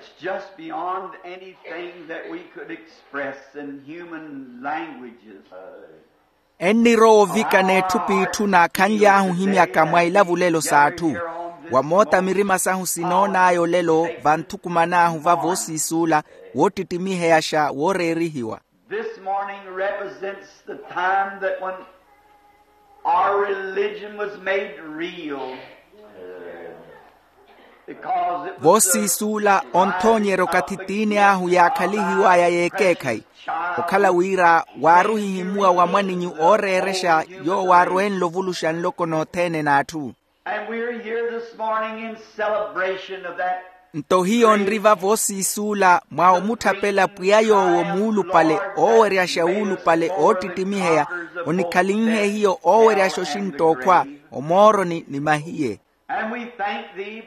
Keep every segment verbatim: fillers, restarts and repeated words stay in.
It's just beyond anything that we could express in human languages. Ennirowa ovikana etthu p'itthu naakhanly'ahu ohimyaka mwa ilavulelo s'atthu. Wa moota mirima sahu sinoon'aya olelo vanthukuman'ahu vavo osiisuula woottittimiheyaxa wooreerihiwa. This morning represents the time that when our religion was made real. Because it was the voosiisuula onthoonyerya okathi tiini ahu yaakhalihiw'aya y'ekeekhayi. Okhala wira waaruhihimuwa wa mwaninyu ooreerexa yoowo aarwenle ovuluxa nloko nothene n'atthu. And we're here this morning in celebration of that. Nto hiyo nri vavo osiisuula mwa omutthapela pwiya yoowo muulupale ooweryaxa wuulupale oottittimiheya. Onikhalinhe hiyo ooweryaxa oxintt'okhwa omooroni ni mahiye. And we thank thee.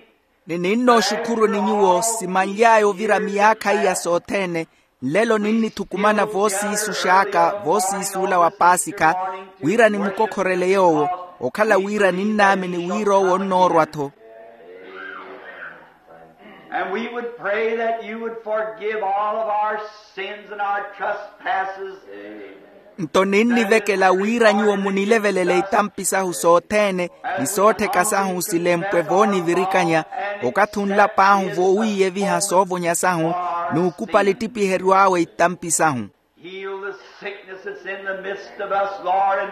Ni ninnooxukhuruni nyuwo simanly'aya ovira miyaakha iya sothene. Nlelo ninnithukumana voosiisux'aka voosiisuula wa paasikha wira nimukokhorele yoowo. Okhala wira ninnaamini wira owo onnoorwa-tho. And we would pray that you would forgive all of our sins and our trespasses. Nto ninnivekela wira nyuwo munilevelele itampi sahu sothene ni soottheka sahu silempwe voonivirikanya. Okathi onlap'ahu voowiiyeviha soovonya sahu n'ukupali ettipiheryo awe itampi sahu. Heal the sickness that's in the midst of us, Lord, and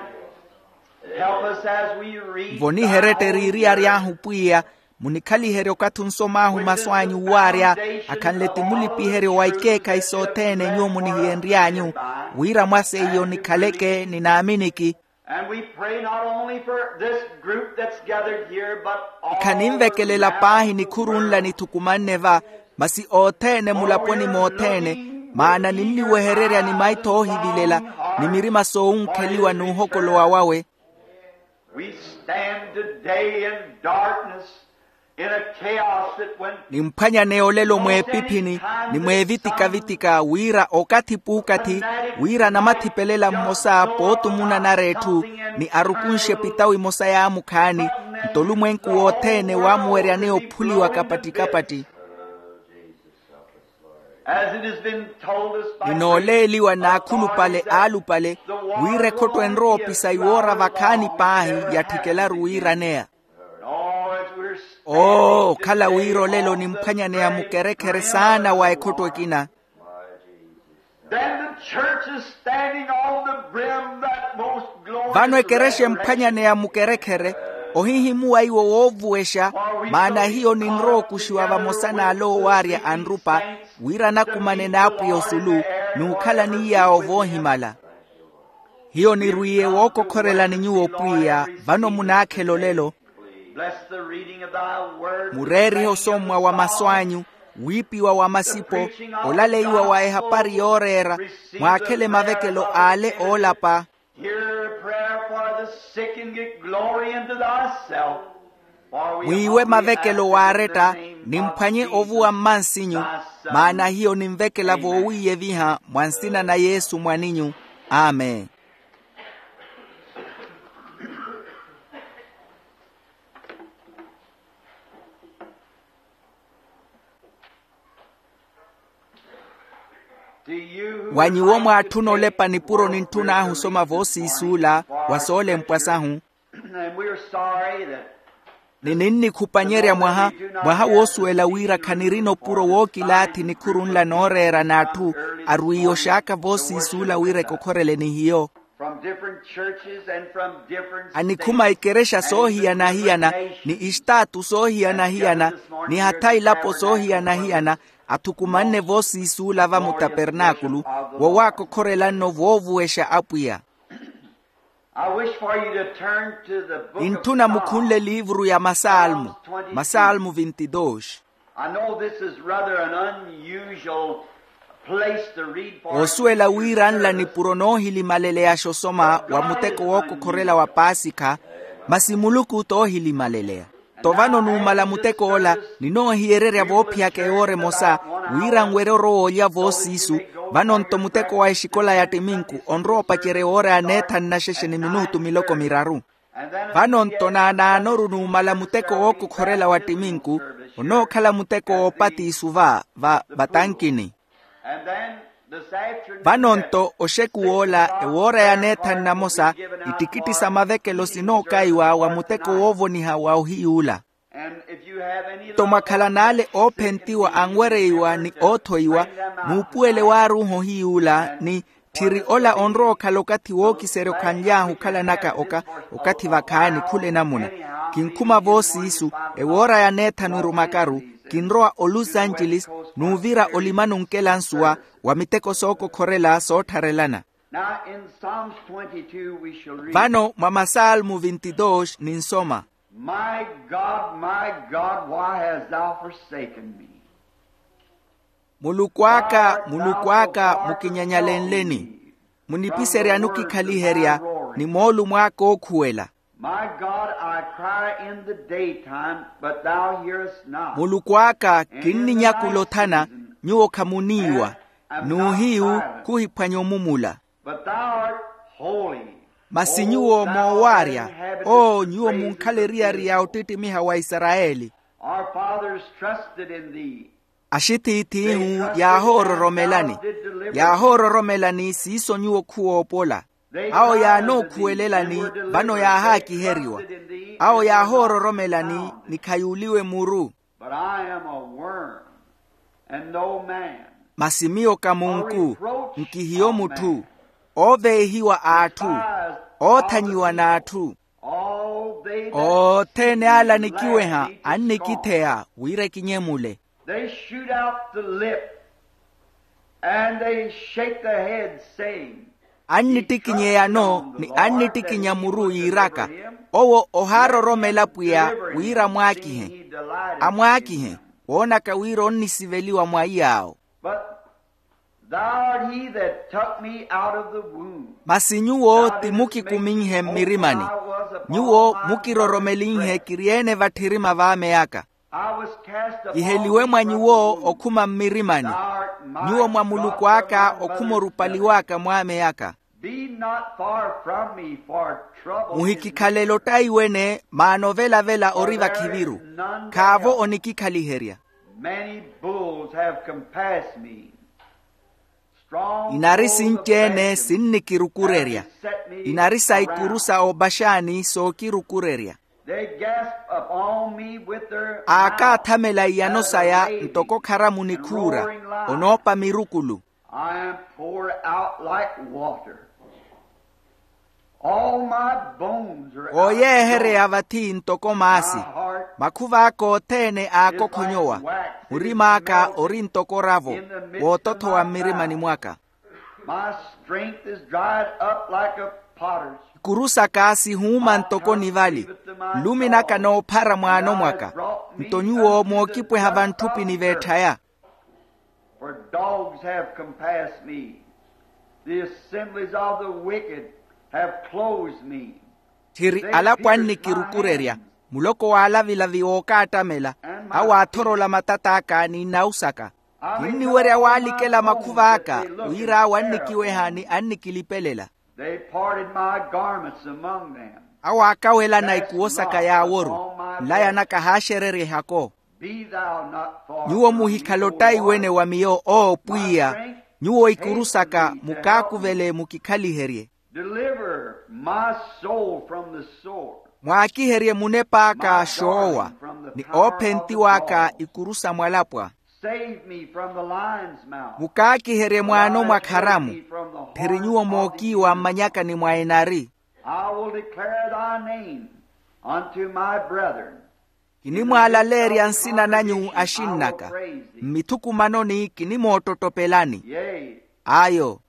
help us as we read. Voniheretteriry'ahu pwiya munikhaliherye okathi onsom'ahu masu anyu waarya akhanle ti mulipiheryo wa ikeekhayi sothene nyuwo munihiyenry'anyu. Wira mwa seiyo nikhaleke ni naaminiki. And we pray not only for this group that's gathered here, but all khaninvekelela paahi nikhuru nla nithukumanne va masi othene mulaponi mothene. Maana ninniwehererya ni maitho oohivilela ni mirima soowunkheliwa n'uhokolowa wawe. We stand today in darkness, in a chaos that when nimphwanyaneya olelo mweepiphini ni mweevitikhavitikha wira okathi p'ukathi wira namathipelela mmosa pootumuna nara etthu ni arukunxe epitawo emosa yaamukhaani. Nto olumwenku wothene waamuweryaneya ophuliwa kapattikapatti. As it has been told us by ninooleeliwa n'akhulupale aalupale wira ekhotto enrowa opisa iwoora vakhaani paahi yatthikelaru wiiraneya. Oo okhala wira olelo nimphwanyaneya mukerekhere saana wa ekhotto ekina. Then the church is standing on the brim that most glorious vano ekerexa emphwanyaneya mukerekhere ohihimuwa iwo woovuwexa. Maana hiyo ninrowa okuxiwa vamosa n'ale oowaarya anrupa wira anakumane n'apwiya osulu n'ukhala ni yaawo voohimala. Hiyo nirwiiye wookokhorelani nyuwo pwiya vano munaakhela olelo. Bless the reading of thy word. Mureerihe osommwa wa masu anyu wiipiwa wa masipo olaleiwa wa ehapari yooreera mwaakhele mavekelo ale oolapa. Hear a prayer for the sick and get glory unto thyself. Mwiiwe mavekelo waaretta nimphwanye ovuwa mmansinyu. Maana hiyo ninvekela voowiiyeviha mwa nsina na yesu mwaninyu. Amen. Wa nyuwo mwaatthuna olepa nipuro nintthun'ahu osoma voosiisuula wa soolempwa sahu. Ni ninnikhupanyerya mwaha mwaha woosuwela wira khanirina opuro wookilaathi nikhuru nla nooreera n'atthu arwiiye oxaaka voosiisuula wira ekokhorele ni hiyo. Anikhuma ikerexa soohiyana-hiyana ni istaatu soohiyana-hiyana ni hatha ilapo soohiyana-hiyana athukumanne voosiisuula va mutapernaakulu wowaakokhorela-nno voovuwexa apwiya. Nintthuna mukhunle eliivuru ya masalmo masalmo vinti dos. Oosuwela wira nla nipuro noohilimaleleyaxa osoma wa muteko wookokhorela wa paasikha masi muluku t'ohilimaleleya. Nto vano numala mutek'ola ninoohiyererya voophiyaka ewoora emosa wira nwerye orowa olya voosiisu. Vano nto muteko wa exikola ya ttiminku onrowa opacerya ewoora ya neethanu na xexe ni minutu miloko miraru. Vano nto naanaanoru numala muteko wookokhorela wa ttiminku Onookhala muteko w'opatiisu va vatankini. Vano-nto oxekuw'ola ewoora ya neethanu namosa, ittikitti sa mavekelo sinookaiwa wa muteko woovoniha wa ohiyuula. Nto mwakhala n'ale oophentiwa anwereiwa ni oothoiwa, muupuwele waaruuha ohiyuula ni tthiri ola onrowa okhala okathi wookiserya okhanly'ahu okhalanaka oka. Okathi vakhaani khula enamuna. Kinkhuma voosiisu, ewoora ya neethanu erumakaru, kinrowa olusanceles n'uvira olimani onkela nsuwa wa miteko sookokhorela soottharelana. Now in Psalms twenty-two we shall read. Vano mwa masalmu vintidoox ninsoma. My God, my God, why hast thou forsaken me? Muluku aka, muluku aka, mukinyanyalenleni? Munipiseryani okikhaliherya ni moolumo aka ookhuwela? My God, I cry in the daytime, but thou hearest not. Muluku aka, kinninyakula othana, nyuwo khamuniiwa. N'uhiyu khuhiphwanya omumula. But thou art holy. Masi nyuwo moowaarya. Oo nyuwo munkhala eriyari ya ottittimiha wa isarayeli. Our fathers trusted in thee. Axithiithihu yaahoororomelani. Yaahoororomelani siiso nyuwo khuwoopola. Awo yaanookhuwelelani, vano yaahaakiheriwa. Awo yaahoororomelani ni khayuuliwe muru. But I am a worm, and no man. Masi miyo ka munku, nkihiyo mutthu. Ooveehiwa a atthu, oothanyiwa n'atthu. Othene ale anikiweha annikitheya wira ekinyemule. They shoot out the lip, and they shake the head, saying, annittikinya eyano ni annittikinya muru yiiraka, owo ohaaroromela pwiya wira amwaakihe. Amwaakihe, woonaka wira onnisiveliwa mwa iyaawo. But thou art he that took me out of the womb. Masi nyuwo ti mukikuminhe mmirimani. Nyuwo mukiroromelinhe kiri-ene vatthirima v'ame aka. Kiheliwe mwa nyuwo okhuma mmirimani. Nyuwo mwa muluku aka okhuma orupali w'aka mw'ame aka. Be not far from me, for trouble. Muhikikhalele ottaiwene, maana ovela-vela ori vakhiviru. Khaavo onikikhaliherya. Many bulls have compassed me. Inari sinci-ene sinnikirukurerya. Inari sa ikuru sa obaxani sookirukurerya. Aakaathamela iyano saya ntoko kharamu nikhuura. Onoopa mirukulu. Ooyeehereya vathi ntoko maasi. Makhuva aka othene aakokhonyowa. Murima aka ori ntoko oravo. Wootothowa mmirimani mwaka. Ikuru saka sihuuma ntoko nivali. Nlumi naka noophara mwaano mwaka. Nto nyuwo mookipweha vantthupini v'etthaya. For dogs have compassed me, the assemblies of the wicked have closed me. Tthiri alapo annikirukurerya, muloko w'alavilavi wookaattamela. Awo aathorola matat'aka ni nnawu saka. Kinniwerya waalikela makhuva aka wira awo annikiweha ni annikilipelela. They parted my garments among them. Awo aakawelana ikuwo saka yaaworu. Nlaya naka haaxererya ehako. Nyuwo muhikhala ottaiwene wa miyo oo pwiya. Nyuwo ikuru saka mukaakuvele mukikhaliherye. Deliver my soul from the sword. Mwaakiherye munep'aka xoowa ni oophentiw'aka ikuru sa mwalapwa. Save me from the lion's mouth. Mukaakiherye mwaano mwa kharamu. Tthiri nyuwo mookiiwa mmanyakani mwa enari. I will declare thy name unto my brethren. Kinimwaalaleerya nsina nanyu axinn'aka. Mmithukumanoni kinimoottottopelani. Ayo.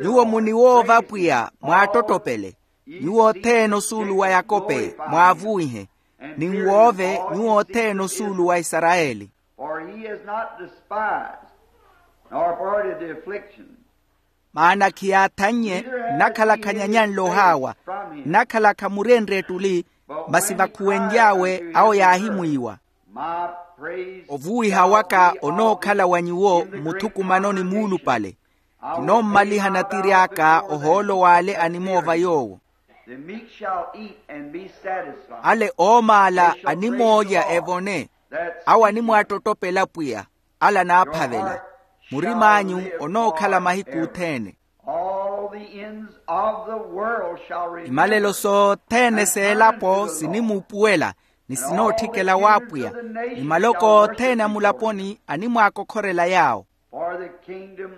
Nyuwo muniwoova pwiya mwaattottopele. Nyuwo othene osuulu wa yakope mwaavuwihe. Ninwoove nyuwo othene osuulu wa isarayeli. For he is not despised, nor parted the affliction. Maana khiyaathannye. Nnakhala khanyanyanle ohaawa. Nnakhala khamurenrye ettuli. Masi vakhuwenly'awe awo yaahimwiiwa. Ovuwiha waka onookhala wa nyuwo mmuthukumanoni muulupale. Kinoommaliha natiri aka ohoolo w'ale animoova yoowo. The meek shall eat and be satisfied. Ale oomaala animoolya evone. Awo animwaattottopela pwiya, ala anaaphavela. Murim'anyu onookhala mahiku othene. All the ends of the world shall remember. Imalelo sothene s'elapo sinimuupuwela, ni sinootthikela w'apwiya. Ni maloko othene a mulaponi animwaakokhorela yaawo. For the kingdom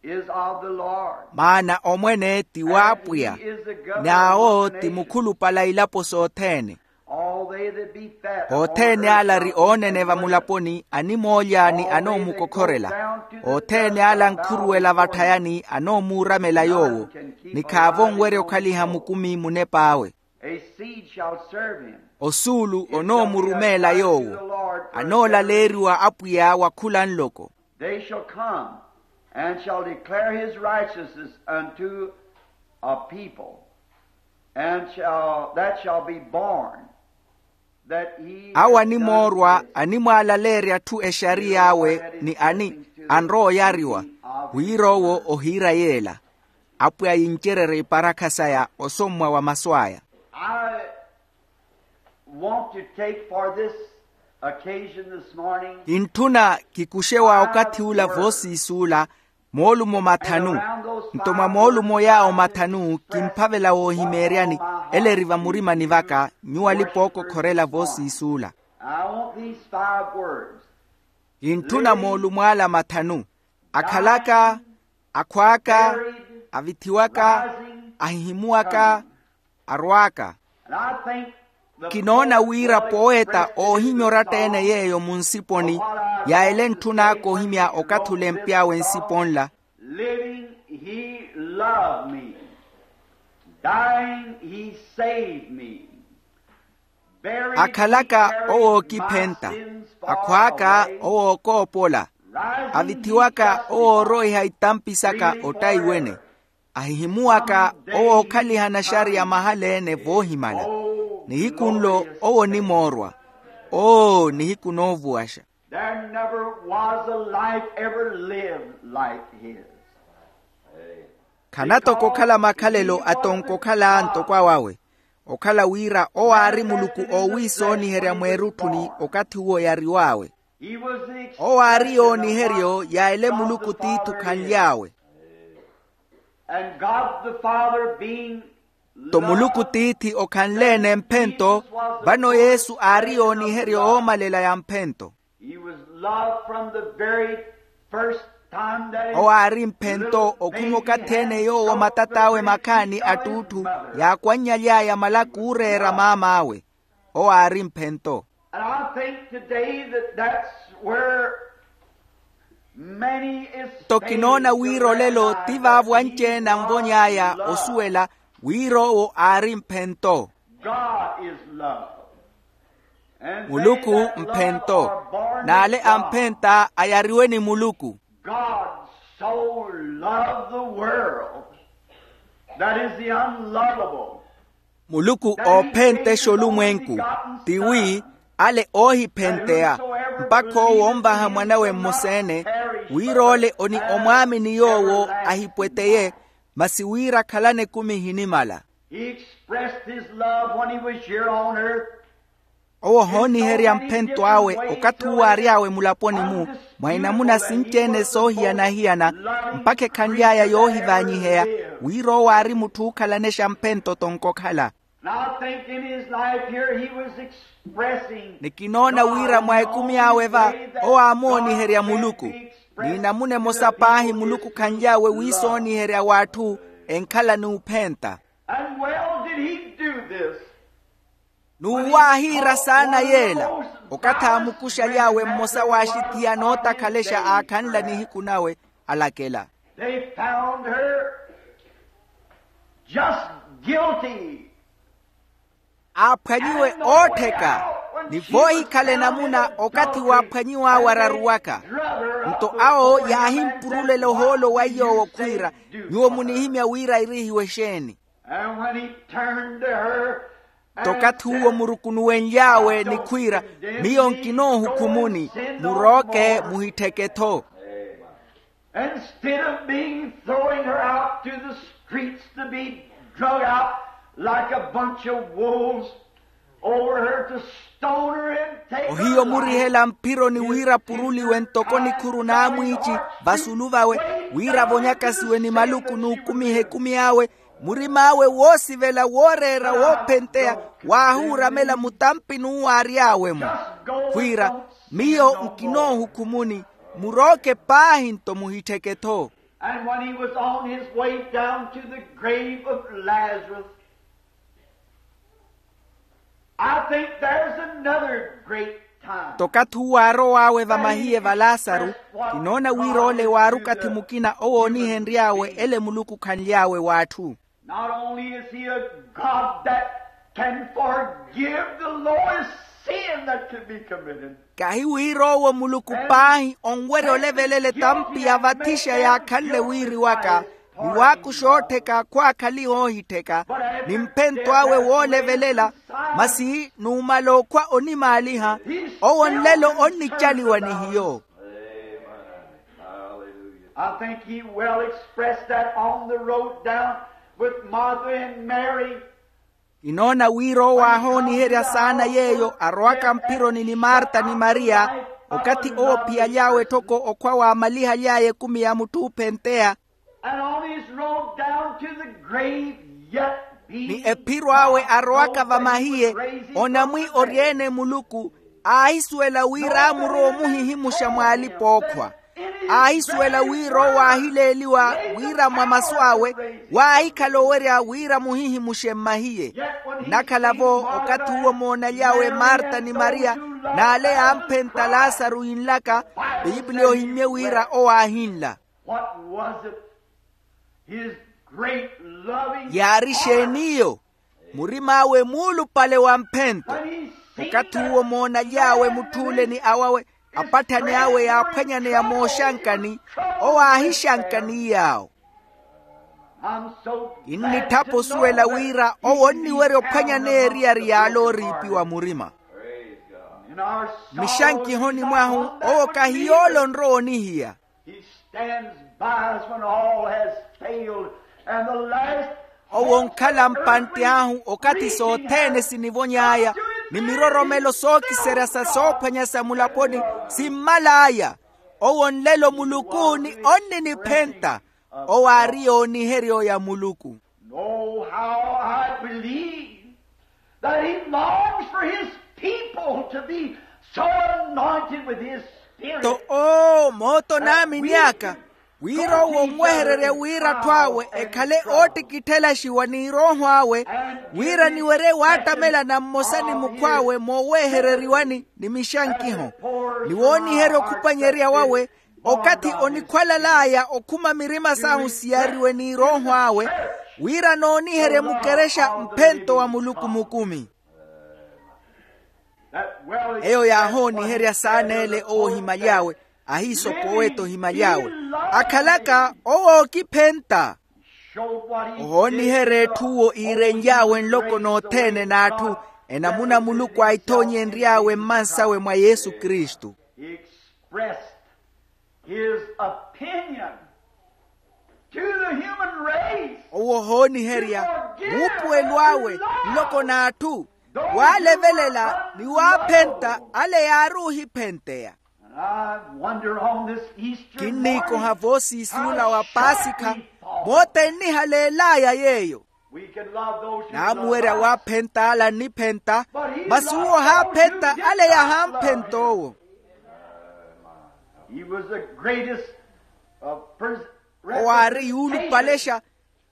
is of the Lord. Maana omwene ti w'apwiya. N'awo ti mukhulupale a ilapo sothene. All they that be fat. Othene ala ari oonene va mulaponi animoolya ni anoomukokhorela. Othene ala ankhuruwela vatthayani anoomuuramela yoowo, ni khaavo onwerya okhaliha mukumi munep'awe. A seed shall serve him. Osuulu onoomurumeela yoowo. Anoolaleeriwa apwiya wa khula nloko. They shall come and shall declare his righteousness unto a people, and shall, that shall be born, that he is. Awo animoorwa animwaalaleerya atthu exariy'awe ni ani anrowa oyariwa, wira owo ohiira yeela. Apwiya yincererye iparakha saya osommwa wa masu aya. I want to take for this occasion this morning. Kintthuna kikuxe wa okathi ula voosiisi ula moolumo mathanu. Nto mwa moolumo yaawo mathanu kimphavela woohimeeryani, ele eri vamurimani vaka nyuwo alipa ookokhorela voosiisi ula. I want these five words. Kintthuna moolumo ala mathanu: akhalaka, akhwaaka, avithiwaka, ahihimuwaka, arwaaka. Kinoona wira poeta oohimya oratta-ene yeeyo munsiponi ya ele entthun'aka ohimya okathi olempy'awe nsiponi nla. Living, he loved me. Dying, he saved me. Buried, he carried my sins far. Akhalaka, owo ookiphenta. Akhwaaka, owo ookoopola. Avithiwaka, owo ooroiha itampi saka ottaiwene. Ahihimuwaka, owo ookhaliha naxariya mahala-ene voohimala. Nihiku nlo owo onimoorwa. Oo, nihiku noovuwaxa. There never was a life ever lived like his. Khana toko okhala makhalelo atonko okhala ntoko awawe. Okhala wira owo aari muluku oowiisooniherya mweerutthuni okathi uwo yariw'awe. Owo aari yooniheryo ya ele muluku tiithi okhanly'awe. And God the Father being. Nto muluku tiithi okhanle-ene mphento. Vano yesu aari yooniheryo oomalela ya mphento. He was loved from the very first time that his. Owo aari mphento okhuma okathi-ene yoowo matat'awe makhaani attuutthu yaakwanny'aly'aya malaka ooreera maam'awe. Owo aari mphento. And I think today that that's where many is. Nto kinoona wira olelo ti vaavo anci-ene anvony'aya osuwela wira owo aari mphento. God is love. Muluku mphento. N'ale amphenta ayariwe ni muluku. God so loved the world that is the unlovable. Muluku oophentexa olumwenku, tiwi ale oohiphenteya, mpakha owo onvaha mwanawe mmosa-ene, wira ole oni omwaamini yoowo ahipweteye, masi wira akhalane ekumi ehinimala. He expressed his love when he was here on earth. Owo ohooniherya mphento awe okathi uwo aary'awe mulaponi-mu, mwa inamuna sinci-ene soohiyana-hiyana, mpakha ekhanly'aya yoohivaanyiheya, wira owo aari mutthu ookhalanexa mphento tonkokhala. And I think in his life here he was expressing. Ni kinoona wira mwa ekumi awe va, owo aamooniherya muluku. Ni namuna emosa paahi muluku khanly'awe wiisooniherya w'atthu enkhala n'uphenta. And well did he do this. N'uwo aahiira saana yeela, okathi aamukuxaly'awe mmosa w'axithiya anootakhalexa aakhanla nihiku nawe, alakela. They found her just guilty. Aaphwanyiwe oottheka, ni voohikhala enamuna okathi waaphwanyiw'awe araruwaka. Nto awo yaahimpurulela ohoolo wa iy'owo khwiira, nyuwo munihimya wira irihiwe exeeni? And when he turned to her. Nto okathi uwo murukunuwenly'awe ni khwiira, miyo nkinoohukhumuni, murooke muhittheke-tho. Instead of being throwing her out to the streets to be drug out like a bunch of wolves, Over her to stone her and take her life. Ohiyo murihela mphironi wira apuruliwe ntoko nikhuru n'amwiici vasulu vawe, wira avonyakasiwe ni maluku n'ukumiha ekumi awe. Murim'awe woosivela wooreera woophenteya waahuuramela mutampi n'uwo aary'awe-mo, khwiira, miyo nkinoohukhumuni, murooke paahi nto muhittheke-tho. And when he was on his way down to the grave of Lazarus, I think there's another great time. Tokathi uwo aarow'awe vamahiye va laasaru, kinoona wira ole waari okathi mukina owoonihenry'awe ele muluku okhanly'awe w'atthu. Not only is he a God that can forgive the lowest sin that can be committed. Kahi wira owo muluku paahi onwerya olevelela etampi ya vathixa yaakhanle wiiri waka, ni waakuxa oottheka khwaakhaliha oohittheka, ni mphento awe woolevelela, masi numala okhwa onimaaliha, owo nlelo onnicaliwa ni hiyo. I think he well expressed that on the road down with Martha and Mary. Kinoona wira owo aahooniherya saana yeeyo arowaka mphironi ni marta ni mariya, okathi owo ophiyaly'awe etthoko okhwa waamalihaly'aya ekumi ya mutthu oophenteya. And on his road down to the grave, yet being ni ephiro awe arowaka vamahiye, onamwi oryeene muluku, aahisuwela wira aamurowa omuhihimuxa mw'alipa-ookhwa. Aahisuwela wira owo aahileeliwa wira mwa masu awe, waahikhala owerya wira amuhihimuxe mmahiye. Nnakhala-vo, okathi uwo moonaly'awe marta ni mariya, n'ale yaamphenta lasaru yinlaka, pipiliya ohimmye wira owo aahinla. What was it? His great loving yaari heart. Exeen'iyo? Murim'awe muulupale wa mphento. When he seen okathi uwo moonaly'awe mutth'ule ni awawe, apatthani awe yaaphwanyaneya mooxankani, owo aaxixankani yaawo. I'm so kinnitthapo osuwela wira owo onniwerya ophwanyaneya eriyari yaale ooriipiwa murima. In our sorrow, mmixankihoni mwahu, owo kahi yoole onrowa onihiya. He stands by us when all has failed and the last. Owo onkhala mpantte ahu okathi sothene sinivony'aya, ni miroromelo sookiserya sa soophwanya sa mulaponi simmal'aya. Owo nlelo muluku ni onniniphenta. Owo aari yooniheryo ya muluku. Know how I believe that he longs for his people to be so anointed with his spirit. To oo mooto naamini aka wira owo onwehererya wira atthu awe ekhale oottikitthelaxiwa ni erooho awe, wira niwerye waattamelana mmosa ni mukhw'awe moowehereriwani ni mixankiho, ni wooniherya okhupanyerya wawe, okathi onikhwalal'aya okhuma mirima sahu siyariwe n'irooho awe, wira nooniherye mukerexa mphento wa muluku mukumi. Eyo yaahooniherya saana ele owo ohimaly'awe, ahiisokowa-ete ohimaly'awe, akhalaka owo ookiphenta. Ohooniherya etthu uwo iirenly'awe nloko nothene n'atthu, enamuna muluku aahithoonyenry'awe mmansawe mwa yesu kristu. His opinion to the human race. Owo ohooniherya muupuwelo awe nloko n'atthu, waalevelela ni waaphenta ale yaari ohiphenteya. And I wonder on this Easter kinniikoha morning, voosiisi ola wa paasikha, how shall we fall? Moota ennihaleel'aya yeeyo. We can love those who love us. Naamuwerya waaphenta ala anniphenta, masi uwo ohaaphenta ale yahaamphenta owo. He was the greatest, uh, pers- owo aari yuulupalexa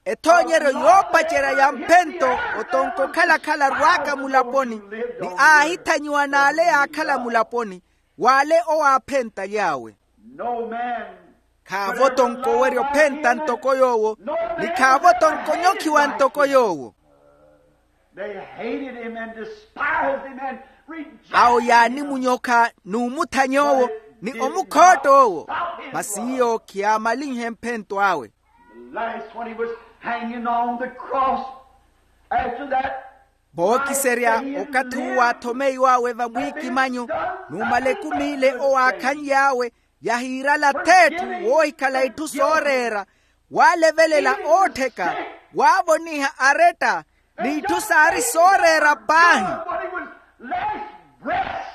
ethoonyeryo yoopacerya ya mphento. Otonko okhala-khala arwaaka mulaponi, ni aahithanyiwa n'ale yaakhala mulaponi, w'ale owo aaphental'awe. No man khaavo tonko owerya ophenta ntoko yoowo, ni khaavo tonko onyokhiwa ntoko yoowo. They hated him and despised him and rejected him. Awo yaanimunyokha n'umuthanya owo ni omukhootta owo, masi iyo khiyaamalinhe mphento awe. Last, when he was hanging on the cross, after that, vookiserya okathi uwo aathomeiw'awe vamwiikimanyo, numala ekumi ile owo aakhanly'awe, yahiirala th'etthu woohikhala itthu sooreera, waalevelela oottheka, waavoniha aretta, n'itthu saari sooreera paahi. Last breaths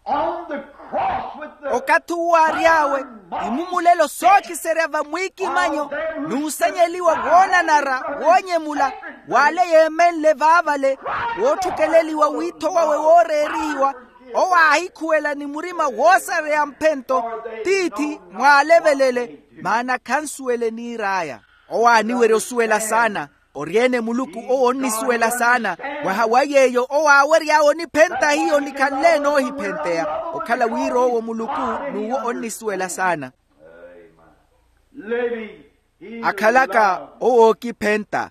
on the cross with the okathi uwo aary'awe imumulelo sookiserya vamwiikimanyo n'usanyeliwa woonanara woonyemula w'ale yeemenle vaavale wootthukeleliwa wiitho wawe wooreerihiwa owo aahikhuwela ni murima woosareya mphento tiithi mwaalevelele maana khansuwele niir'aya owo aaniwerya osuwela saana ori-ene muluku owo onnisuwela saana mwaha wa yeeyo owo aawery'awe oniphenta hiyo nikhanle enoohiphenteya okhala wira owo muluku n'uwo onnisuwela saana akhalaka owo ookiphenta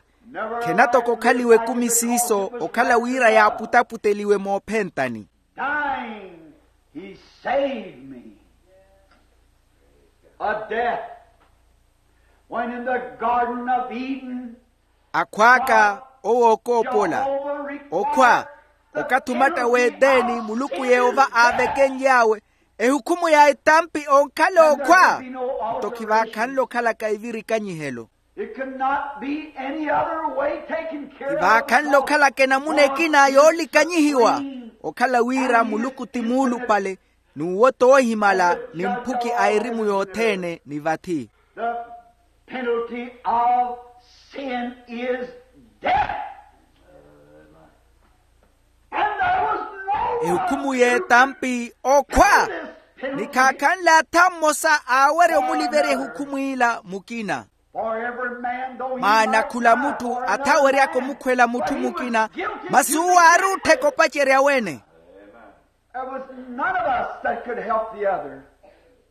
khena toko okhaliwa ekumi siiso okhala wira yaaputaputeliwe moophentani dying, he saved me a death. When in the Garden of Eden, akhw'aka owo okoopola okhwa okathi omatta w'eteni muluku yehova aavekenly'awe ehukhumu ya etampi onkhala okhwa nto khivaakhanle okhalaka ivirikanyihelo. It could not be any other way taken care of. Vaakhanle okhalaka enamuna ekina yoolikanyihiwa okhala wira muluku ti muulupale n'uwo toohimala ni mphuki a erimu yothene ni vathi. The penalty of sin is death. And there was no ehukhumu y'etampi okhwa ni khaakhanle atha mmosa aawerya omuliverya ehukhumu ila mukina. Maana khula mutthu athaweryaka omukhwela mutthu mukina masi uwo aari ottheka opacerya wene.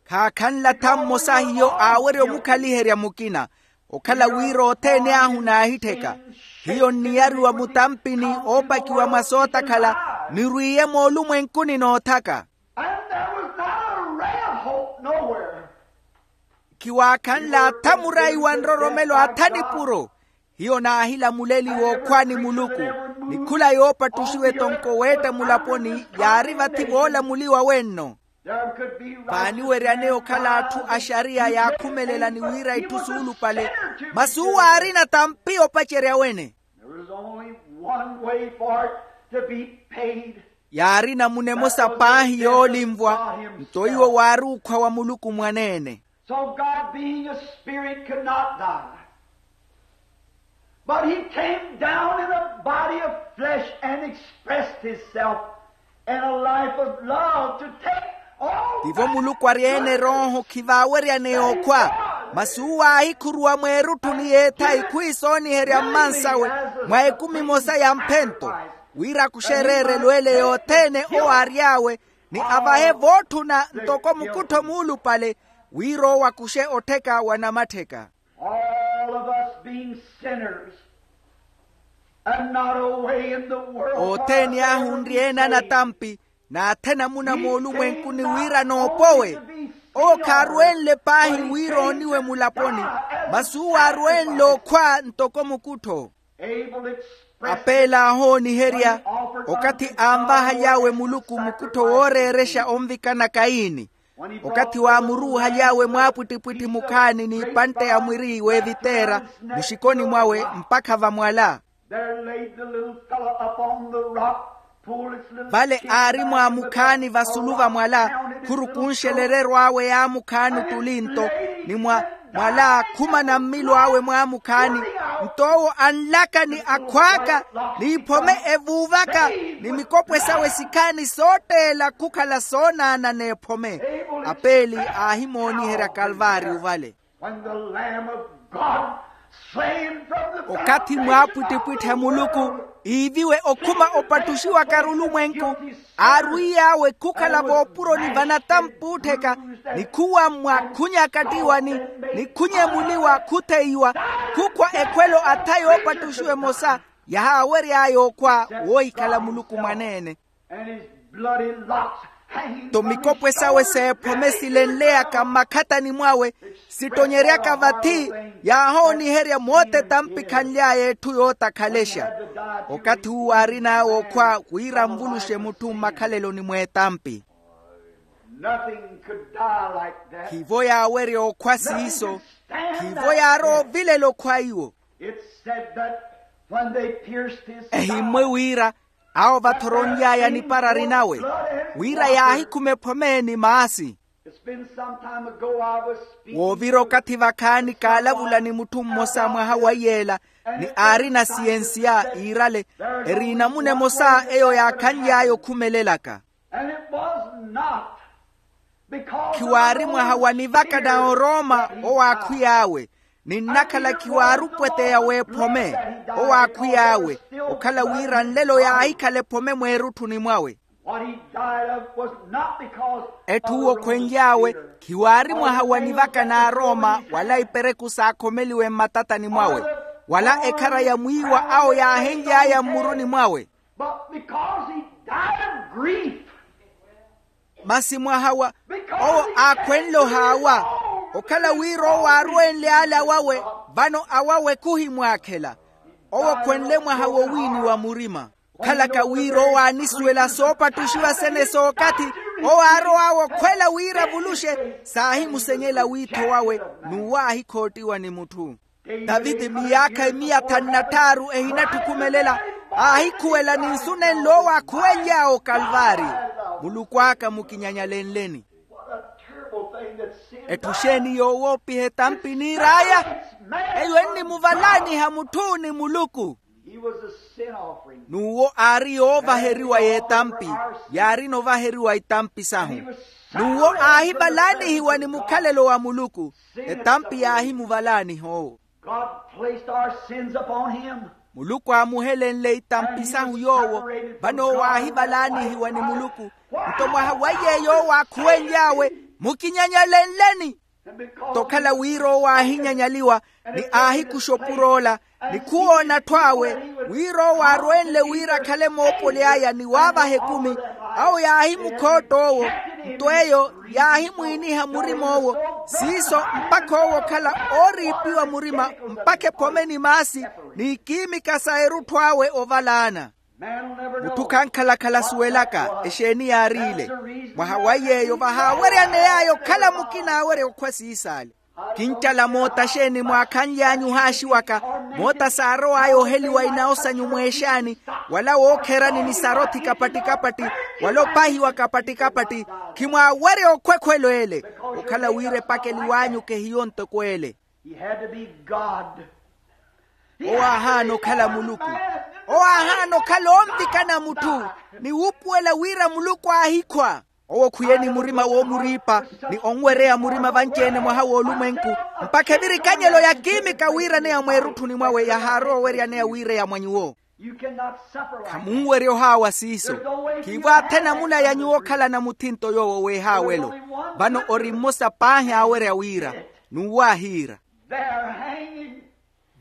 Khaakhanle atha mmosa hiyo aawerya omukhaliherya mukina okhala wira othene ahu naahittheka hiyo nniyariwa mutampini oopakiwa mwa sootakhala nirwiiye moolumwenkuni noothaka. Khiwaakhanle atha murayi wa nroromelo atha nipuro hiyo naahilamuleliwa okhwa ni muluku ni khula yoopattuxiwa etonko weetta mulaponi yaari vathi voolamuliwa wenno. Vaaniweryaneya okhala atthu a xariya yaakhumelela ni wira itthu suulupale masi uwo aarina tampi opacerya wene. Yaari namuna emosa paahi yoolinvwa nto iwo waari ukhwa wa muluku mwaneene. So God being a spirit could not die. But he came down in a body of flesh and expressed himself in a life of love to take all tivo muluku ari-ene erooho khivaaweryaneya okhwa masi uwo aahikhuruwa mweerutthuni y'ethayi khwiisooniherya mmansawe mwa ekumi emosa ya mphento wira akuxe ereerelwele yothene owo aary'awe ni avahe vootthuna ntoko mukuttho muulupale wira owo akuxe ottheka wa namattheka. All of us being sinners and not away in the world othene ahu nri ene anatampi n'athe namuna moolumwenkuni wira noopowe owo khaarwenle paahi wira ooniwe mulaponi masi uwo aarwenle okhwa ntoko mukuttho. Apeli aahooniherya okathi aanvahaly'awe muluku mukuttho wooreerexa onvikana kayini okathi waamuruuhaly'awe mwaapwittipwitthi mukhaani n'ipantte ya mwiri w'eviteera muxikoni mwawe mpakha vamwala. Vale aari mwaamukhaani vasulu vamwala khurukunxelereryo awe yaamukhaani ottuli nto ni mwa mwala khumana mmilo awe mwaamukhaani nto owo anlaka ni akhw'aka n'iphome evuuvaka ni mikopwe sawe sikhaani sootteela khukhala soonaana n'ephome. Apeli aahimooniherya kalvaariyo vale. Okathi mwaapwittipwitthi a muluku iiviwe okhuma opattuxiwaka arulumwenku aarwiy'awe khukhala voopuroni vanatampuuttheka ni khuwammwa khunyakattiwani ni khunyemuliwa khutheiwa khukhwa ekhwelo atha yoopattuxiwa emosa yahaawery'aya okhwa woohikhala muluku mwaneene. Nto mikopwe sawe s'ephome silenleyaka mmakhatani mwawe sittonyeryaka vathi yaahooniherya moote tampikhanly'aya etthu yootakhalexa. Okathi uwo aarin'awe okhwa wira anvuluxe mutthu mmakhaleloni mw'etampi. Khivo yaawerya okhwa siiso. Khivo yaarowa ovilela okhwa iwo. Ehimmwe wira Awo vathoronly'aya niparari nawe, wira yaahikhume ephome ni maasi. Woovira okathi vakhaani kaalavula ni mutthu mmosa mwaha wa iyeela, ni aarina siyensiya iirale, eri enamuna emosa eyo yaakhanly'aya okhumelelaka. Khiwaari mwaha wa nivaka na orooma owaakhwiy'awe, ni nnakhala khiwaari opweteya w'ephome owaakhwiy'awe, okhala wira nlelo yaahikhala ephome mweerutthuni mwawe. Etthu owo okhwenly'awe, khiwaari mwaha wa nivaka na arooma wala ipereku saakhomeliwe mmatatani mwawe, wala ekhara ya mwiiwa awo yaahenly'aya mmuruni mwawe. Masi mwaha wa owo aakhwenle ohaawa, okhala wira owo aarwenle ala wawe, vano awawe khuhimwaakhela. Owo okhwenle mwaha wowiiniwa murima, okhalaka wira owo aanisuwela soopattuxiwa sene sookathi. Owo aarow'awe okhwela wira avuluxe, saahimusenyela wiitho wawe, n'uwo aahikhootiwa ni mutthu. Taviti miyaakha emiya thanu na tthaaru ehinatthukhumelela, aahikhuwela ni nsu nenle owo aakhuwenly'awe okalvaari, muluku aka mukinyanyalenleni. Etthu xeeni yoowoopiha etampi niir'aya? Eyo ennimuvalaaniha mutthu ni muluku. N'uwo aari yoovaheriwa y'etampi, yaarina ovaheriwa itampi sahu. N'uwo aahivalaanihiwa ni mukhalelo wa muluku, etampi yaahimuvalaaniha owo. God placed our sins upon him. Muluku aamuhelenle itampi sahu yoowo, vano owo aahivalaanihiwa ni muluku. Nto mwaha wa yeeyo owo aakhuwenly'awe, mukinyanyalenleni. Nto okhala wira owo aahinyanyaliwa, ni aahikuxa opur'ola, ni khuwoona atthu awe, wira owo aarwenle wira akhale moopoli aya ni waavaha ekumi, awo yaahimukhootta owo. Nto eyo yaahimwiiniha murim'owo, siiso mpakha owo okhala ooriipiwa murima, mpakha ephome ni maasi, n'ikiimika sa erutthu awe ovalaana. Mutthu khankhalakhala asuwelaka exeeni yaariile. Mwaha wa yeeyo vahaaweryaney'aya okhala mukina aawerya okhwa siisaale. Kincala moota xeeni mwaakhanly'anyu ohaaxiwaka, moota saarow'aya oheliwa inawo sanyu mweexaani, wala wookherani ni sarothi kapatti-kapatti, wala opahiwa kapatti-kapatti. Khimwaawerya okhwekhwelo ele, okhala wira epakeliw'anyu khehiyo ntoko ele. He had to be God. Owo aahaana okhala muluku. Owo aahaana okhala onvikana mutthu, ni wuupuwela wira muluku aahikhwa. Owo khwiye ni murima woomuriipa, ni onwereya murima vanci-ene mwaha w'olumwenku, mpakha evirikanyelo yakiimika wiiraneya mweerutthuni mwawe yahaarowa oweryaneya wiireya mwa nyuwo. Khamunwerya ohaawa siiso. Khiivo athe namuna ya nyuwo okhalana muthinto yoowo weehaawelo. Vano ori mmosa paahi aawerya wira, n'uwo aahiira.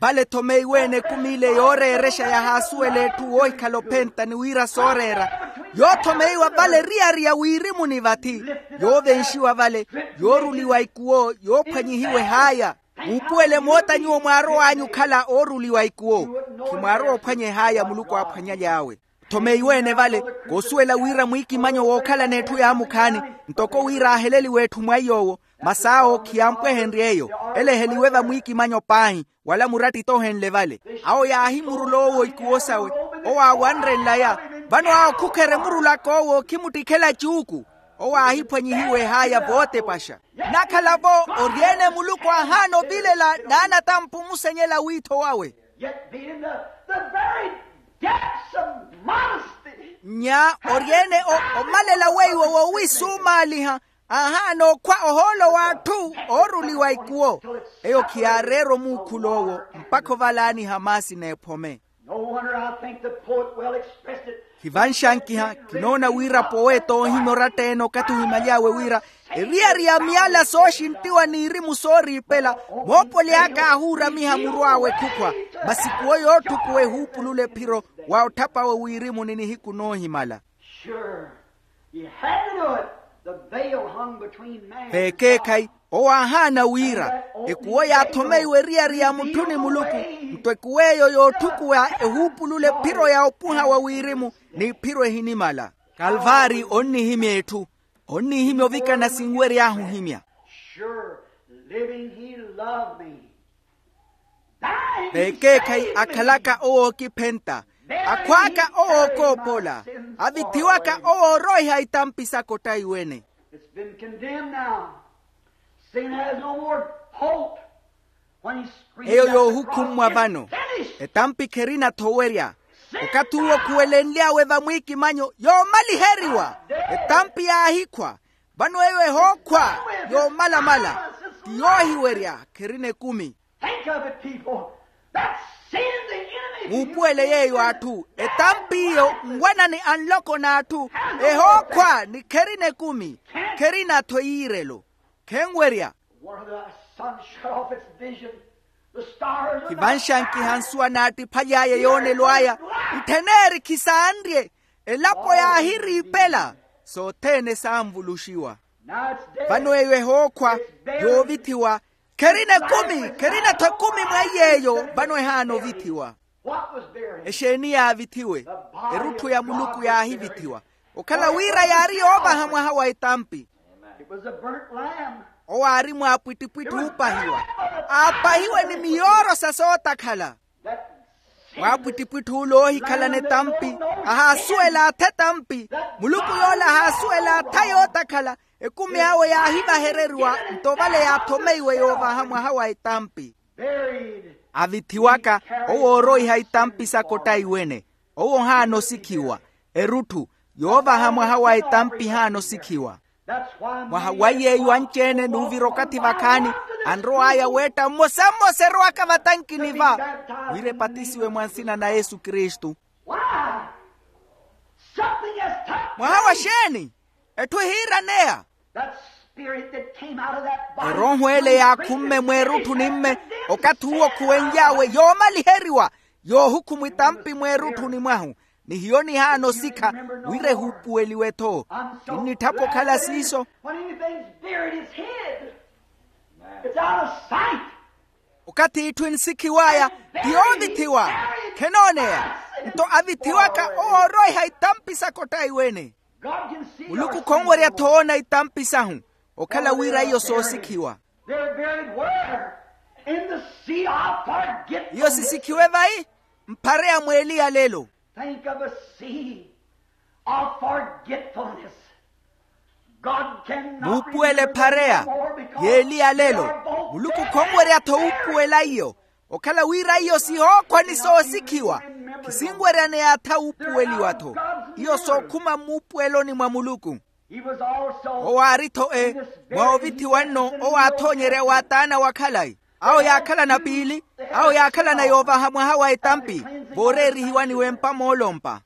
Vale ethomeiwe-ene ekumi ile yooreerexa yahaasuwela etthu woohikhala ophenta ni wira sooreera, yoothomeiwa vale eriyari ya wiirimuni vathi, yoovenxiwa vale, yooruliwa ikuwo yoophwanyihiwa ehaaya. Muupuwele moota nyuwo mwaarow'anyu okhala ooruliwa ikuwo. Khimwaarowa ophwanya ehaaya muluku aaphwanyaly'awe. Thomeiwe-ene vale, koosuwela wira mwiikimanyo wookhalana etthu yaamukhaani, ntoko wira aaheleliwe etthu mwa iy'owo, masi awo khiyaampwehenrye eyo. Ele eheliwe vamwiikimanyo paahi, wala muratti toohenle vale. Awo yaahimurula owo ikuwo sawe. Owo aawanre nlaya. Vano awo khukhere murulaka owo khimuttikhela cuuku. Owo aahiphwanyihiwa ehaaya vootepaxa. Nnakhala-vo, ori-ene muluku aahaana ovilela n'anatampu omusenyela wiitho wawe. Yet being the, the very depths of modesty. Nya ori-ene o- omalela weiwo woowisuumaaliha, aahaana okhwa ohoolo w'atthu ooruliwa ikuwo. Eyo khiyaareera omuukhulo owo, mpakha ovalaaniha maasi n'ephome. No wonder I think the poet well expressed it. Hivanxankiha, kinoona wira poweta oohimya oratta-ene okathi ohimaly'awe wira, eriyari ya miyala sooxinttiwa n'irimu sooriipela, moopoli aka aahuuramiha muru awe khukhwa. Masi kuwo yootthukuwa ehuupulula ephiro, wa otthap'awe wiirimuni nihiku noohimala. Sure. He had to do it. The veil hung between man and God. Veekeekhayi, owo aahaana wira, ekuwo yaathomeiwa eriyari ya mutthu ni muluku. Nto ekuwo eyo yootthukuwa ehuupulula ephiro ya opuha wa wirimu, n'iphiro ehinimala. Kalvaari onnihimya etthu. Onnihimya ovikana sinwery'ahu ohimya. Sure, living he loved me. Veekeekhayi akhalaka owo ookiphenta, Akhw'aka owo ookoopola, avithiwaka owo ooroiha itampi saka ottaiwene. It's been condemned now. Sin has no more hope. When he screamed eyo out the yoohukhummwa cross, vano. It's finished. Etampi kherina-tho owerya. Okathi uwo khuwelenly'awe vamwiikimanyo yoomaliheriwa. Etampi yaahikhwa. Vano eyo ehookhwa yoomalamala, ti yoohiwerya, kherina ekumi. Think of it, people. That sin the enemy muupuwele yeeyo atthu, etampi iyo nwanani a nloko n'atthu, ehookhwa ni kherina ekumi, kherina-tho eyiirelo, khenwerya. One of the sun shut off its vision. The stars of the khivanxankiha nsuwa naattiphali aya yoonelo aya, itthen'eri khisaanrye, elapo yaahiriipela, sothene saanvuluxiwa. Vano eyo ehookhwa, yoovithiwa, kherina ekumi, kherina-tho ekumi mwa iy'eyo, vano ehaana ovithiwa. Exeeni yaavithiwe? Erutthu ya muluku yaahivithiwa, okhala wira yaari yoovaha mwaha wa etampi. Owo aari mwaapwittipwitthi oopahiwa, aapahiwe ni miyooro sa sootakhala. Mwaapwittipwitthi ule oohikhalana etampi, ahaasuwela atha etampi. Muluku yoola ahaasuwela atha yootakhala. Ekumi awe yaahivahereriwa, nto vale yaathomeiwe yoovaha mwaha wa etampi. Avithiwaka owo ooroiha itampi saka ottaiwene. Owo ohaana osikhiwa. Erutthu yoovaha mwaha wa etampi ehaana osikhiwa. Mwaha wa yeeyo anci-ene n'uvira okathi vakhaani, anrow'aya weetta mmosa mmosa erowaka vatankini va, wira epatisiwe mwa nsina na yesu kristu. Mwaha wa xeeni? Etthu ehiiraneya. Erooho ele yaakhumme mweerutthu ni mme, okathi uwo khuwenly'awe yoomaliheriwa, yoohukhumwa itampi mweerutthu ni mwahu. Ni hiyo nihaana osikha wira ehuupuweliwe-tho. Kinnitthapa okhala siiso. Okathi itthu ensikhiw'aya ti yoovithiwa, khenooneya. Nto avithiwaka owo ooroiha itampi saka ottaiwene. Muluku khonwerya-tho oona itampi sahu, okhala wira iyo soosikhiwa. Iyo sisikhiwe vai? Mphare ya mweeli ya lelo. Think of a sea of forgetfulness. Muupuwele ephareya yeeli ya lelo. Muluku khonwerya-tho wuupuwela iyo, okhala wira iyo sihookhwa ni soosikhiwa. Khisinweryaneya atha wuupuweliwa-tho. Iyo sookhuma mmuupuweloni mwa muluku. Owo aari-tho e mwa ovithiwa nno owo aathoonyerya wa taana wa khalayi. Awo yaakhalana piili, awo yaakhalana yoovaha mwaha wa etampi, vooreerihiwaniwa empa moolompa.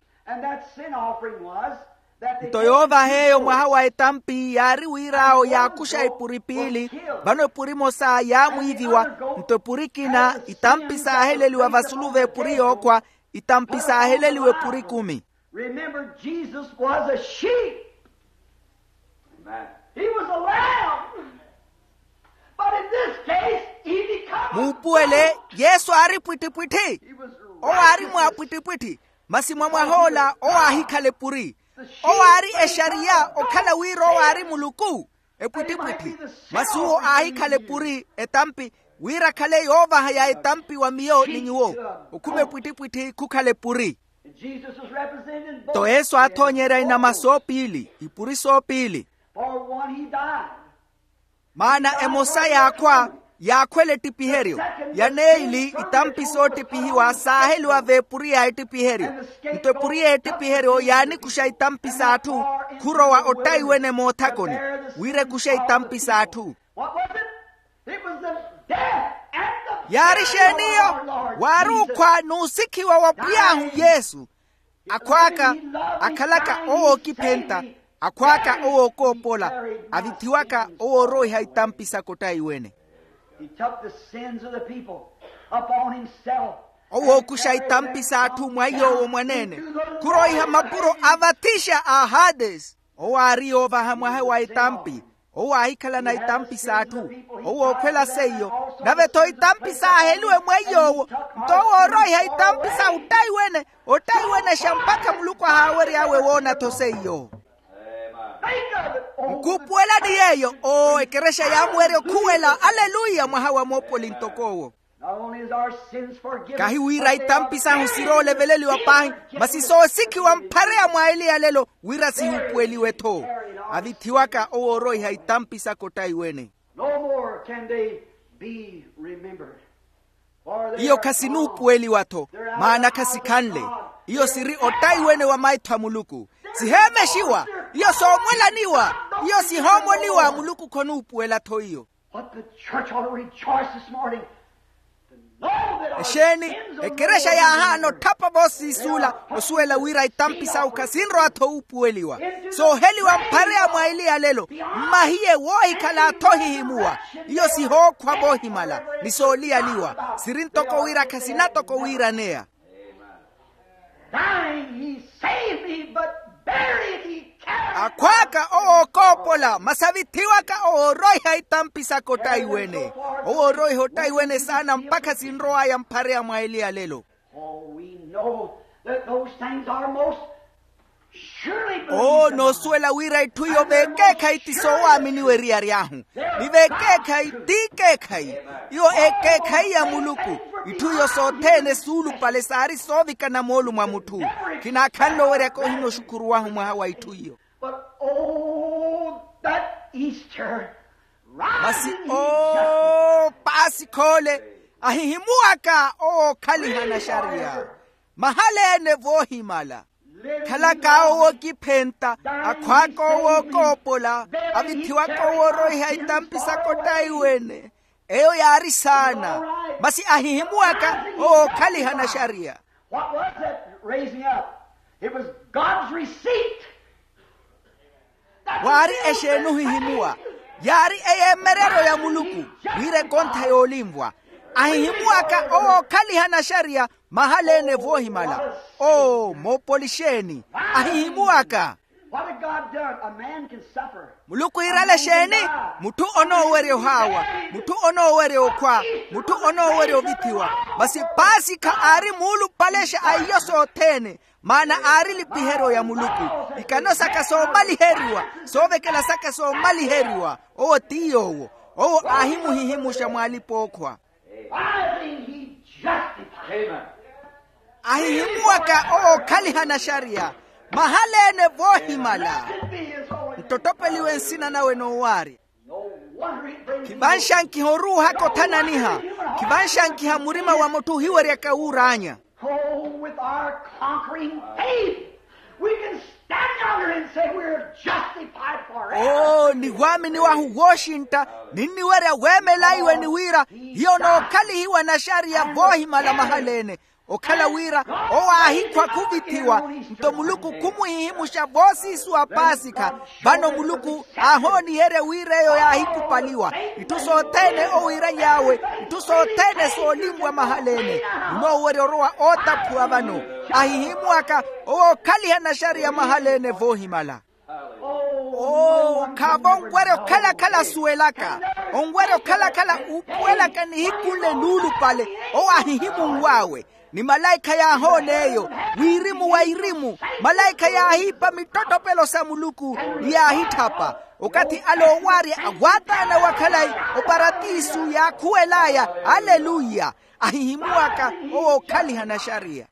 Nto yoovaha eyo mwaha wa etampi yaari wira awo yaakuxa epuri piili. Vano epuri emosa yaamwiiviwa, nto epuri ekina itampi saaheleliwa vasulu v'epuri yookhwa, itampi saaheleliwa epuri ekumi. Remember, Jesus was a sheep. He was a lamb. But in this case, he becomes muupuwele yesu aari pwittipwitthi. Owo aari mwaapwittipwitthi. Masi mwa mwah'ola owo aahikhala epuri. Owo aari exariya okhala wira owo aari muluku. Epwittipwitthi. Masi uwo aahikhala epuri etampi, wira akhale yoovaha ya etampi wa miyo ni nyuwo. Okhuma epwittipwitthi khukhala epuri. Nto yesu aathoonyerya inama soopiili, ipuri soopiili. Maana emosa yaakhwa, yaakhwela ettipiheryo. Ya neeli itampi soottipihiwa saaheliwa v'epuri ya ettipiheryo. Nto epuri y'ettipiheryo yaanikuxa itampi s'atthu, khurowa ottaiwene moothakoni, wira ekuxe itampi s'atthu. Yaari xeeni iyo? Waari okhwa n'usikhiwa wa pwiy'ahu yesu. Akhw'aka akhalaka owookiphenta, akhw'aka owookoopola, avithiwaka owooroiha itampi saka ottaiwene. He took the sins of the people upon himself. Owookuxa itampi s'atthu mwa iy'owo mwaneene, khuroiha mapuro a vathixa a hadesi. Owo aari yoovaha mwaha wa itampi. Owo aahikhalana itampi s'atthu. Owo ookhwela seiyo. Nave-tho itampi saaheliwe mwa iy'owo. Nto owo ooroiha itampi sa ottaiwene, ottaiwenexa mpakha muluku ahaawery'awe woona-tho seiyo. Nkuupuwelani yeeyo. Oo ekerexa yaamuwerya okhuwela aleluya mwaha wa moopoli ntok'owo. Kahi wira itampi sahu sirooleveleliwa paahi, masi soosikhiwa mphareya mwa eli ya lelo wira sihuupuweliwe-tho. Avithiwaka owooroiha itampi saka ottaiwene. No more can they be remembered. Iyo khasinuupuweliwa-tho, maana khasikhanle. Iyo siri ottaiwene wa maitho a muluku. Siheemexiwa. Iyo soomwelaniwa. Iyo sihoomoniwa. Muluku khonuupuwela-tho iyo. But the church ought to rejoice this morning. Exeeni, ekerexa yaahaana otthapa voosiisuula osuwela wira itampi sawu khasinrowa-tho wuupuweliwa. Sooheliwa mphareya mwa eli ya lelo, mmahiye woohikhala-tho ohihimuwa. Iyo sihookhwa voohimala ni sooliyaliwa siri ntoko wira khasina toko wiiraneya. Dying he saved me, but buried he carried. Akhw'aka owo ookoopola masi avithiwaka owo ooroiha itampi saka ottaiwene. Owo ooroiha ottaiwene saana mpakha sinrow'aya mphareya mwa eli ya lelo. Oh, we know that those things are most surely believed. Oo noosuwela wira itthu iyo veekeekhayi ti soowaaminiwa eriyari ahu. Ni veekeekhayi t'ikeekhayi. Iyo ekeekhayi ya muluku. Itthu iyo sothene suulupale saari soovikana moolu mwa mutthu. Khinaakhanle oweryaka ohina oxukhuruwahu mwaha wa itthu iyo. But oh that Easter. Masi oo paasikha ole ahihimuwaka owo okhaliha naxariya. Mahala-ene voohimala. Khalaka owo okiphenta, akhw'aka owo ookoopola, avithiwaka owo ooroiha itampi saka ottaiwene. Eyo yaari saana. Masi ahihimuwaka owo okhaliha naxariya. What was that raising up? It was God's receipt. Waari exeeni ohihimuwa? Yaari eyeemereryo ya muluku. Wira ekontha yoolinvwa ahihimuwaka owo okhaliha naxariya. Mahala-ene voohimala. Oo moopoli exeeni ahihimuwaka? What had God done? A man can suffer. Muluku iirale exeeni? Mutthu onoowerya ohaawa. Mutthu onoowerya okhwa. Mutthu onoowerya ovithiwa. Masi paasikha aari muulupalexa a iyo sothene. Maana aari elipiheryo ya muluku. Ikano saka soomaliheriwa. Soovekela saka soomaliheriwa. Owo ti yoowo. Owo aahimuhihimuxa mw'alipa-ookhwa. By being he justified. Amen. Ahihimuwaka owo okhaliha naxariya. Mahala-ene voohimala. Nttottopeliwe nsina nawe noowaarya. Khivanxankiha oruuhaka othananiha. Khivanxankiha murima wa mutthu ohiweryaka wuur'anya. Oh, with our conquering faith, we can stand yonder and say we're justified forever. Oo ni waamini wahu wooxintta, ninniwerya weemelaiwe ni wira hiyo nookhalihiwa naxariya voohimala mahala-ene. Okhala wira owo aahikhwa khuvithiwa, nto muluku khumuhihimuxa voosiisuwa paasikha. Vano muluku aahooniherya wira eyo yaahikupaliwa. Itthu sothene owiiraly'awe, itthu sothene soolinvwa mahala-ene. Munoowerya orowa ootaphuwa vano. Ahihimuwaka owo okhaliha naxariya mahala-ene voohimala. Oo khaavo onwerya okhala-khala asuwelaka. Onwerya okhala-khala uupuwelaka nihiku nle nuulupale. Owo aahihimunw'awe. Ni malaikha yaahoona eyo, wirimu wa irimu. Malaikha yaahiipa mittottopelo sa muluku ni yaahitthapa. Okathi ale oowaarya awaataana wa khalayi oparatisu yaakhuwel'aya. Aleluya. Ahihimuwaka owo okhaliha naxariya.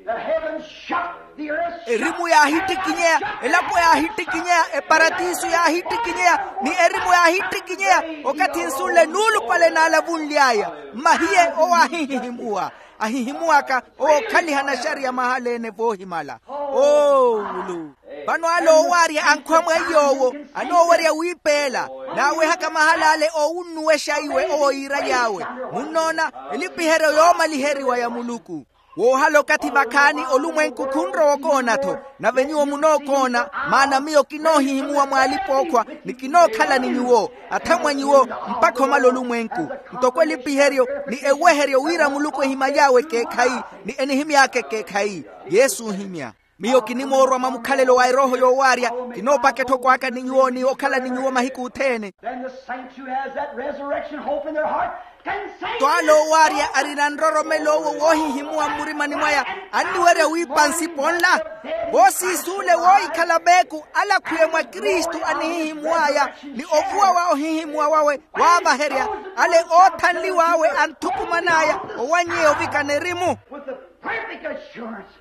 The heavens shook, the earth shook. Erimu yaahittikinyeya, elapo yaahittikinyeya, eparatisu yaahittikinyeya ni erimu yaahittikinyeya. Okathi nsu nle nuulupale naalavunly'aya. Mmahiye owo aahihihimuwa. Ahihimuwaka owo okhaliha naxariya mahala-ene voohimala. Oo wulu. Vano ale oowaarya ankhwa mwa iy'owo anoowerya wiipeela. Naawehaka mahala ale oowunnuwexa iwe owo yiiraly'awe. Munnoona, elipiheryo yoomaliheriwa ya muluku. Woohala okathi vakhaani olumwenku khunrowa okoona-tho. Nave nyuwo munookoona, maana miyo kinoohihimuwa mw'alipa-ookhwa ni kinookhala ni nyuwo, athamwa nyuwo, mpakha omala olumwenku. Ntoko elipiheryo ni eweheryo wira muluku ehimaly'awe ekeekhayi ni enihimy'aka ekeekhayi. Yesu ohimya. Miyo kinimoorwa mwa mukhalelo wa erooho yoowaarya. Kinoopaka etthoko aka ni nyuwo ni okhala ni nyuwo mahiku othene. Then the saints who has that resurrection hope in their heart can say, nto ale oowaarya arina nroromelo owo woohihimuwa mmurimani mwaya, anniwerya wiipa nsipo nla. Voosiisuule woohikhala veeku alakhwiwe mwa kristu anihihimuw'aya, ni ovuwa wa ohihimuwa wawe waavaherya. ale oothanliw'awe anthukuman'aya owanyeya ovikana erimu. With the perfect assurance,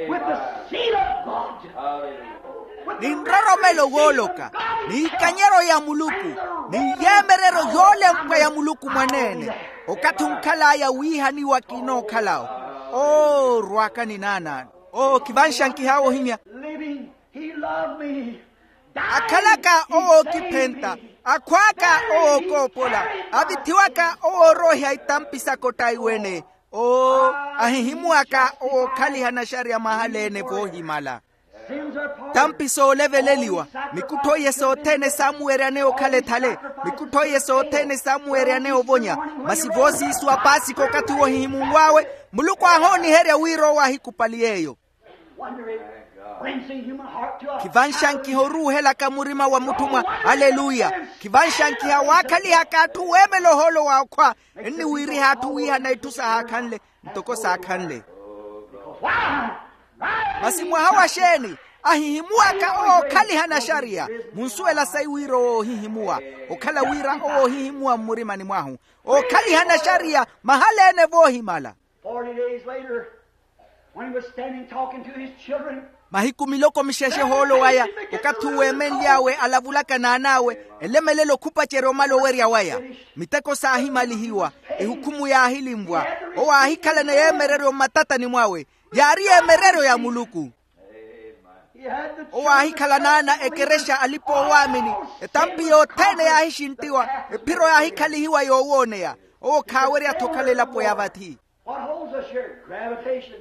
with the seal of God, ni nroromelo wooloka, ni ikanyeryo ya muluku, ni yeemereryo yoolempwa ya muluku mwaneene. Okathi onkhal'aya wiihaniwa kinookhalawo. Oorw'aka ni naanaano. Oo khivanxankiha woohimya. Living, he loved me. Akhalaka owo ookiphenta, akhw'aka owo ookoopola, avithiwaka owo ooroiha itampi saka ottaiwene. Oo, ahihimuwaka owo ookhaliha naxariya mahala-ene voohimala. Tampi sooleveleliwa, mikuttho iye sothene saamuweryaneya okhala ethale, mikuttho iye sothene saamuweryaneya ovonya. Masi voosiisu apaasika okathi wohihimunw'awe, muluku aahooniherya wira owo aahikupali yeeyo. Wondering, cleansing human heart to a khivanxankiha oruuhelaka murima wa mutthu mwa. Aleluya. Khivanxankiha waakhalihaka atthu weemela ohoolo wa okhwa, enniwiiriha atthu wiihana itthu sahaakhanle ntoko saakhanle. Why? Masi mwaha wa xeeni? Ahihimuwaka owo ookhaliha naxariya. Munsuwela sayi wira owo oohihimuwa, okhala wira owo oohihimuwa mmurimani mwahu, ookhaliha naxariya mahala-ene voohimala. Forty days later, when he was standing talking to his children, mahiku miloko mixexe ohoolo waya, okathi uwo eemenly'awe alavulaka n'an'awe, elemelela okhupacerya omala owerya waya. Miteko saahimalihiwa, ehukhumu yaahilinvwa. Owo aahikhalana yeemereryo mmatatani mwawe, yaari yeemereryo ya muluku. Owo aahikhala n'ana ekerexa alipa-oowaamini. Etampi yothene yaahixinttiwa, ephiro yaahikhalihiwa yoowooneya. Owo khaawerya-tho okhala elapo ya vathi. What holds us here? Gravitation.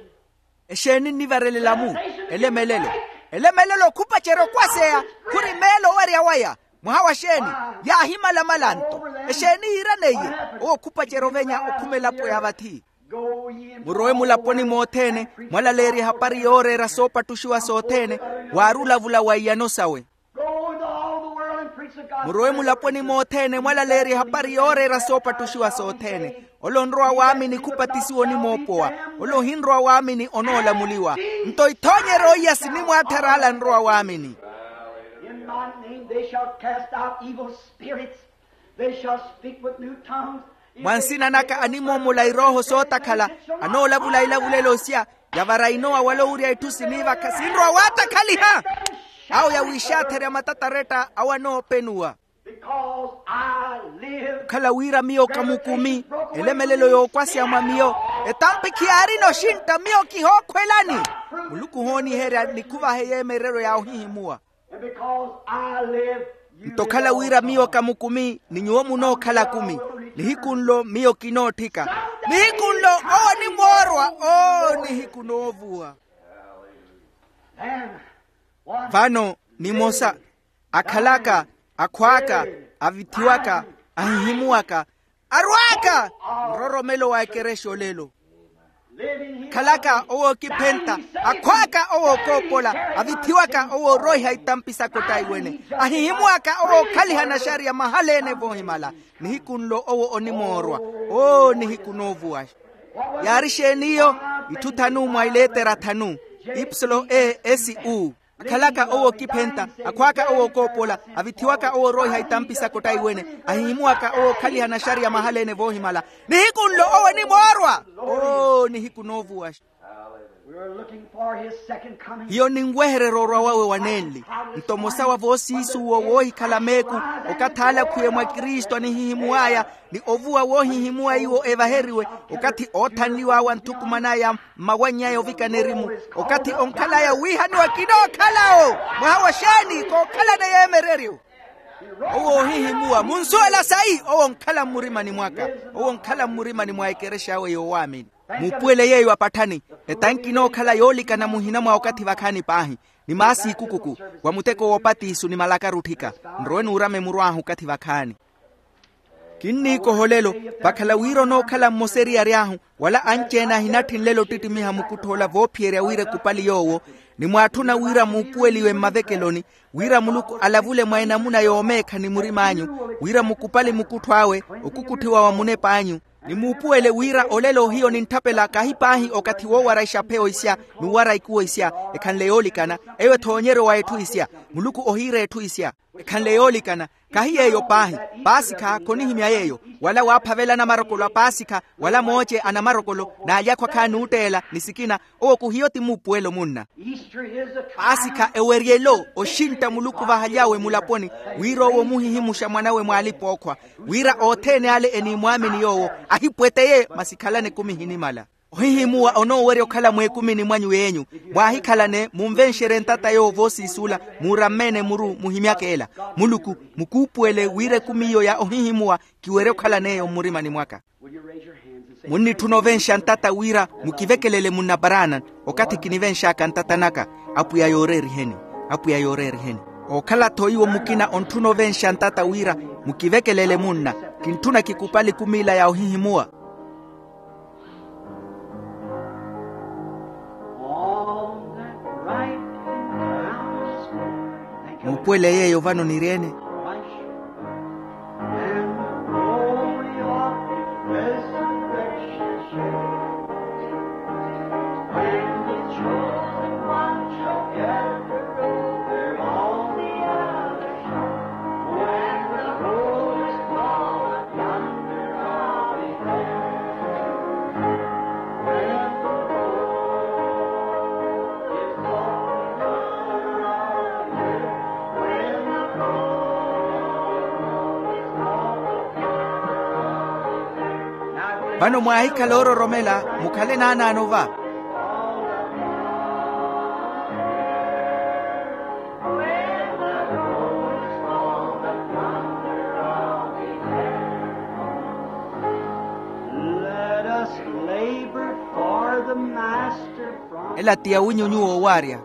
Exeeni nnivarelela-mu? Elemelelo. Elemelelo okhupacerya okwaseya. Khuri meelo owerya waya. Mwaha wa xeeni? Yaahimalamala-nto. Exeeni yiiraneiye? Owo okhupacerya ovenya okhuma elapo ya vathi. Murowe mulaponi mothene, mwalaleerye ehapari yooreera soopattuxiwa sothene, waari olavula wa iyano sawe. Murowe mulaponi mothene, mwalaleerye ehapari yooreera soopattuxiwa sothene. Ole onrowa waamini khupatisiwa onimoopowa. Ole ohinrowa waamini onoolamuliwa. Nto ithoonyeryo iya sinimwaatthara ala anrowa waamini. In my name they shall cast out evil spirits. They shall speak with new tongues. Mwa nsina naka animoomola irooho sootakhala, anoolavula ilavulelo sya, yavara inowa wala owurya itthu siniivakha sinrowa waatakhaliha. Awo yawiixaatherya matataretta awo anoopenuwa. Because I live. Okhala wira miyo kamukumi, elemelelo yookwasya mwa miyo, etampi khiyaarina oxintta miyo kihookhwelani. Muluku ohooniherya nikhuvahe yeemereryo ya ohihimuwa. And because I live, you live also. Nto okhala wira miyo kamukumi, ni nyuwo munookhala kumi. Nihiku nlo miyo kinootthika. Nihiku nlo owo onimoorwa. Oo, nihiku noovuwa. Then, one. Vano nimosa, akhalaka, akhw'aka, avithiwaka, ahihimuwaka, arw'aka nroromelo wa ekerexa olelo. Khalaka owo ookiphentta, akhw'aka owo ookoopola, avithiwaka owo ooroiha itampi saka ottaiwene, ahihimuwaka owo ookhaliha naxariya mahala-ene voohimala. Nihiku nlo owo onimoorwa. Oo, nihiku noovuwa. Yaari xeeni iyo? Itthu thanu mwa ileetera thanu, ipsilo e s u. Akhalaka owo ookiphentta, akhw'aka owo ookoopola, avithiwaka owo ooroiha itampi saka ottaiwene, ahihimuwaka owo ookhaliha naxariya mahala-ene voohimala. Nihiku nlo owo onimoorwa. Oo, nihiku noovuwaxa. We are looking for his second coming. Hiyo ninwehererya orwa wawe wa nenli. Nto mmosa wa voosiisuwo woohikhala meeku, okathi alakhwiwe mwa kristu anihihimuw'aya, ni ovuwa woohihimuwa iwo evaheriwe, okathi oothanliw'awe anthukuman'aya mmawanny'aya ovikana erimu, okathi onkhal'aya wiihaniwa kinookhala'wo. Mwaha wa xeeni? Kookhalana yeemereryo. Owo oohihimuwa munsuwela sayi? Owo onkhala mmurimani mwaka. Owo onkhala mmurimani mwa ekerexa awe yoowaamini. Muupuwele yeeyo apatthani. Etanki inookhala yoolikana muhina mwa okathi vakhaani paahi, ni maasi ikukuku, wa muteko woopatiisu ni malakaru otthika. Nrowe nuurame muru ahu okathi vakhaani. Kinniikoha olelo, vakhala wira onookhala mmosa eriyari ahu, wala anci-ene ahinatthi nlelo ottittimiha mukuttho ola voophiyerya wira ekupali yoowo, ni mwaatthuna wira muupuweliwe mmavekeloni, wira muluku alavule mwa enamuna yoomeekha ni murim'anyu, wira mukupali mukuttho awe okukutthiwa wa munep'anyu, ni muupuwele wira olelo hiyo nintthapela kahi paahi okathi woowara ixapheyo isya, n'uwara ikuwo isya, ekhanle yoolikana, eyo ethoonyeryo wa etthu isya. Muluku ohiira etthu isya. Ekhanle yoolikana. Kahi yeeyo paahi. Paasikha khonihimya yeeyo. Wala waaphavela anamarokolo a paasikha, wala mooce a namarokolo, n'alyakhwa khaani ootteela ni sikina. Owo khuhiyo ti muupuwelo munna. Paasikha eweryelo oxintta muluku vahaly'awe mulaponi, wira owo omuhihimuxa mwan'awe mw'alipa-ookhwa, wira othene ale enimwaamini yoowo, ahipweteye masi khalani ekumi ehinimala. Ohihimuwa onoowerya okhala mweekumini mwanyu yeenyu. Mwaahikhalane munvenxerye ntata yoowo voosiisuula, muuramme-ene muru muhimyak'ela. Muluku, mukuupuwele wira ekumi iyo ya ohihimuwa kiwerye okhalan'eyo mmurimani mwaka. Munnitthuna ovenxa ntata wira mukivekelele munna paraana, okathi kinivenx'aka ntata naka. Apwiya yooreeriheni. Apwiya yooreeriheni. Ookhala-tho iwo mukina ontthuna ovenxa ntata wira mukivekelele munna. Kintthuna kikupali kumiila ya ohihimuwa. Muupuwele yeeyo vano niri-ene. Vano mwaahikhala oororomela, mukhale naanaano va. Ela ti awinyu nyuwo owaarya.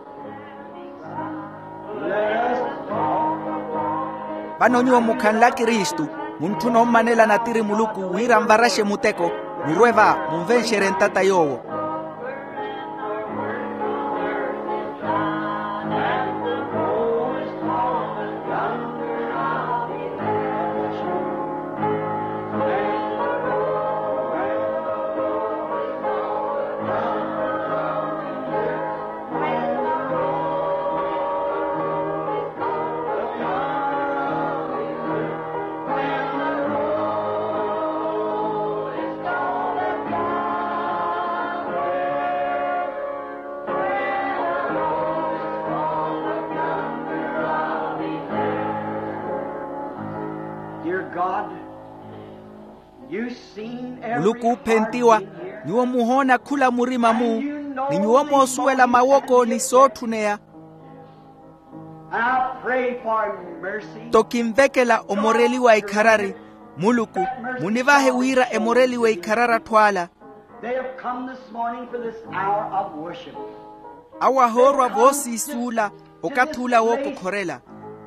Vano nyuwo mukhanle akristu, muntthuna ommanela natiri muluku wira anvaraxe muteko. Murwe va, munvenxerye ntata yoowo. Muluku oophentiwa, nyuwo muhoona khula murima-mu, ni nyuwo moosuwela mawoko ni sootthuneya. Nto kinvekela omoreliwa ikharari. Muluku, munivahe wira emoreliwe ikharari atthu ala. Awo ahoorwa voosiisuula, okathi ula wookokhorela.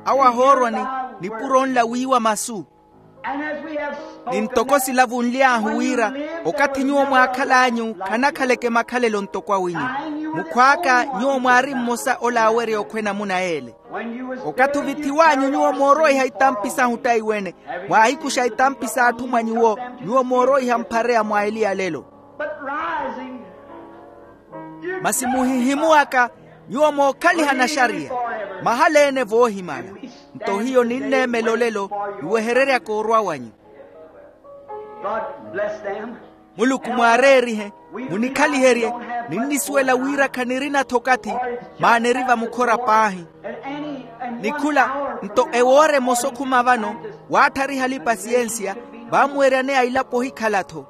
Awo ahoorwa ni nipuro nla wiiwa masu. Ni ntoko silavunly'ahu wira, okathi nyuwo mwaakhal'anyu khanakhaleke makhalelo ntoko awinyu. Mukhw'aka nyuwo mwaari mmosa ola aawerya okhwena muna yeele. Okathi ovithiw'anyu nyuwo mooroiha itampi sahu taiwene, mwaahikuxa itampi s'atthu mwa nyuwo, nyuwo mooroiha mphareya mwa eli ya lelo. Masi muhihimuwaka, nyuwo mookhaliha naxariya, mahala-ene voohimala. Nto hiyo ninneemela olelo, niwehereryaka orwa wanyu. Muluku mwaareerihe, munikhaliherye. Ninnisuwela wira khanirina-tho okathi, maana eri vamukhora paahi. Ni khula, nto ewoora emosa okhuma vano, waatthariha alipa siyensiya, vaamuweryaneya ilapo ohikhala-tho.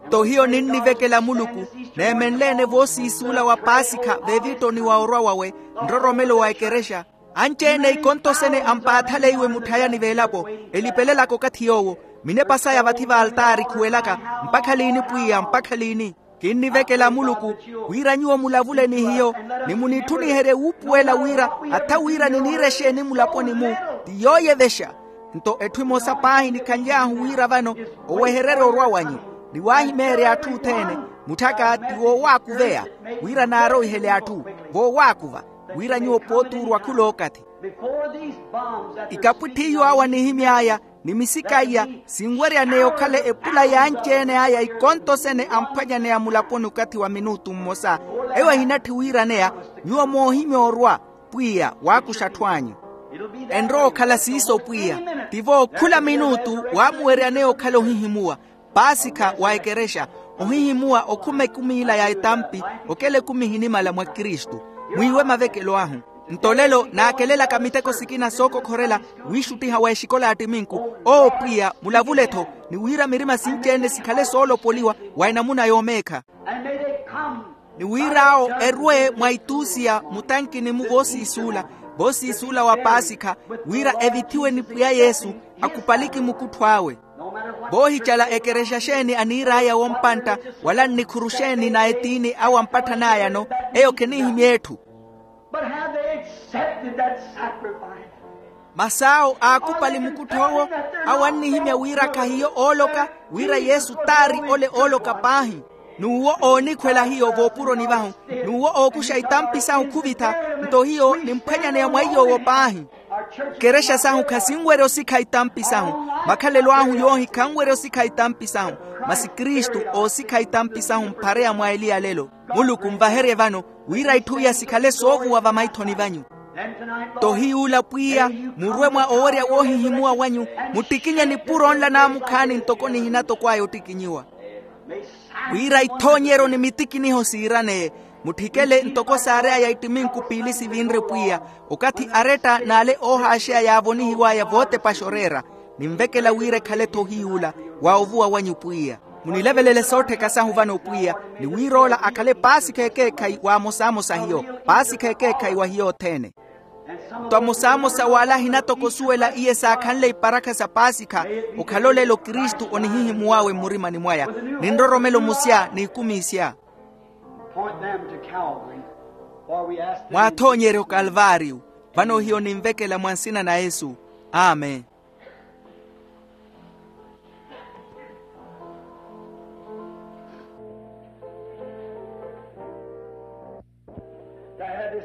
Nto hiyo ninnivekela muluku, neemenle-ene voosiisuula wa paasikha veevittoni wa orwa wawe, nroromelo wa ekerexa. Anci-ene ikonto sene ampaathaleiwe mutthayani v'elapo, elipelelaka okathi yoowo, minepa saya vathi v'altaari khuwelaka, mpakha liini pwiya, mpakha liini? Kinnivekela muluku, wira nyuwo mulavule ni hiyo, ni munitthuniherye wuupuwela wira, atha wira niniira exeeni mulaponi-mu, ti yooyevexa. Nto etthu emosa paahi nikhanly'ahu wira vano, owehererya orwa wanyu, ni waahimeerya atthu othene, mutthaka ti woowaakuveya, wira naaroihele atthu, voowaakuva, wira nyuwo pootuurwa khul'okathi. Ikapwitthi iyo awo anihimy'aya, ni misika iya, sinweryaneya okhala epula y'anci-ene aya ikonto sene amphwanyaneya mulaponi okathi wa minutu mmosa. Eyo ehinatthi wiiraneya, nyuwo moohimya orwa, pwiya waakuxa atthu anyu. Enrowa okhala siiso pwiya. Tivo khula minutu waamuweryaneya okhala ohihimuwa, paasikha wa ekerexa, ohihimuwa okhuma ekumi ila ya etampi, okela ekumi ehinimala mwa kristu. Mwiiwe mavekelo ahu. Nto lelo naakelelaka miteko sikina sookokhorela, wiixuttiha wa exikola ya ttiminku. Owo pwiya mulavule-tho, ni wira mirima sinci-ene sikhale soolopoliwa wa enamuna yoomeekha. Ni wir'awo erwe mwa ituusiya mutankini-mu voosiisuula, voosiisuula wa paasikha, wira evithiwe ni pwiya yesu, akhupaliki mukuttho awe. Voohicala ekerexa xeeni aniir'aya wompantta, wala nnikhuru xeeni na etiini awo amppatthanaaya-no, eyo khenihimya etthu. But have they accepted that sacrifice? Masi awo aakhupali mukuttho owo? Awo annihimya wira khahiyo ooloka, wira yesu t'ari ole ooloka paahi. N'uwo oonikhwela hiyo voopuroni vahu, n'uwo ookuxa itampi sahu khuvitha. Nto hiyo nimphwanyaneya mwa iy'owo paahi. Ikerexa sahu khasinwerya osikha itampi sahu. Makhalelo ahu yoohi khanwerya osikha itampi sahu. Masi kristu oosikha itampi sahu mphareya mwa eli ya lelo. Muluku nvaherye vano, wira itthu iya sikhale soovuwa vamaithoni vanyu. Nto hiy'ula pwiya, murwe mwa owerya woohihimuwa wanyu, muttikinye nipuro nla naamukhaani ntoko nihinatokw'aya ottikinyiwa. Wira ithoonyeryo ni mitikiniho siiraneye, mutthikele ntoko saarey'aya ittiminku piili sivinre pwiya, okathi aretta n'ale oohaaxeya yaavonihiw'aya vootepaxa oreera. Ninvekela wira ekhale-tho hiy'ula wa ovuwa wanyu pwiya. Munilevelele soottheka sahu vano pwiya, ni wir'ola akhale paasikha ekeekhayi wa amosamosa hiyo, paasikha ekeekhayi wa hiyo othene. Nto amosamosa w'ala ahinatokosuwela iye saakhanle iparakha sa paasikha, okhale olelo kristu onihihimuw'awe mmurimani mwaya, ni nroromelo musya n'ikumi isya. Point them to Calvary, for we ask them. Mwaathoonyerye okalvaariyu. Vano hiyo ninvekela mwa nsina na yesu. Amen.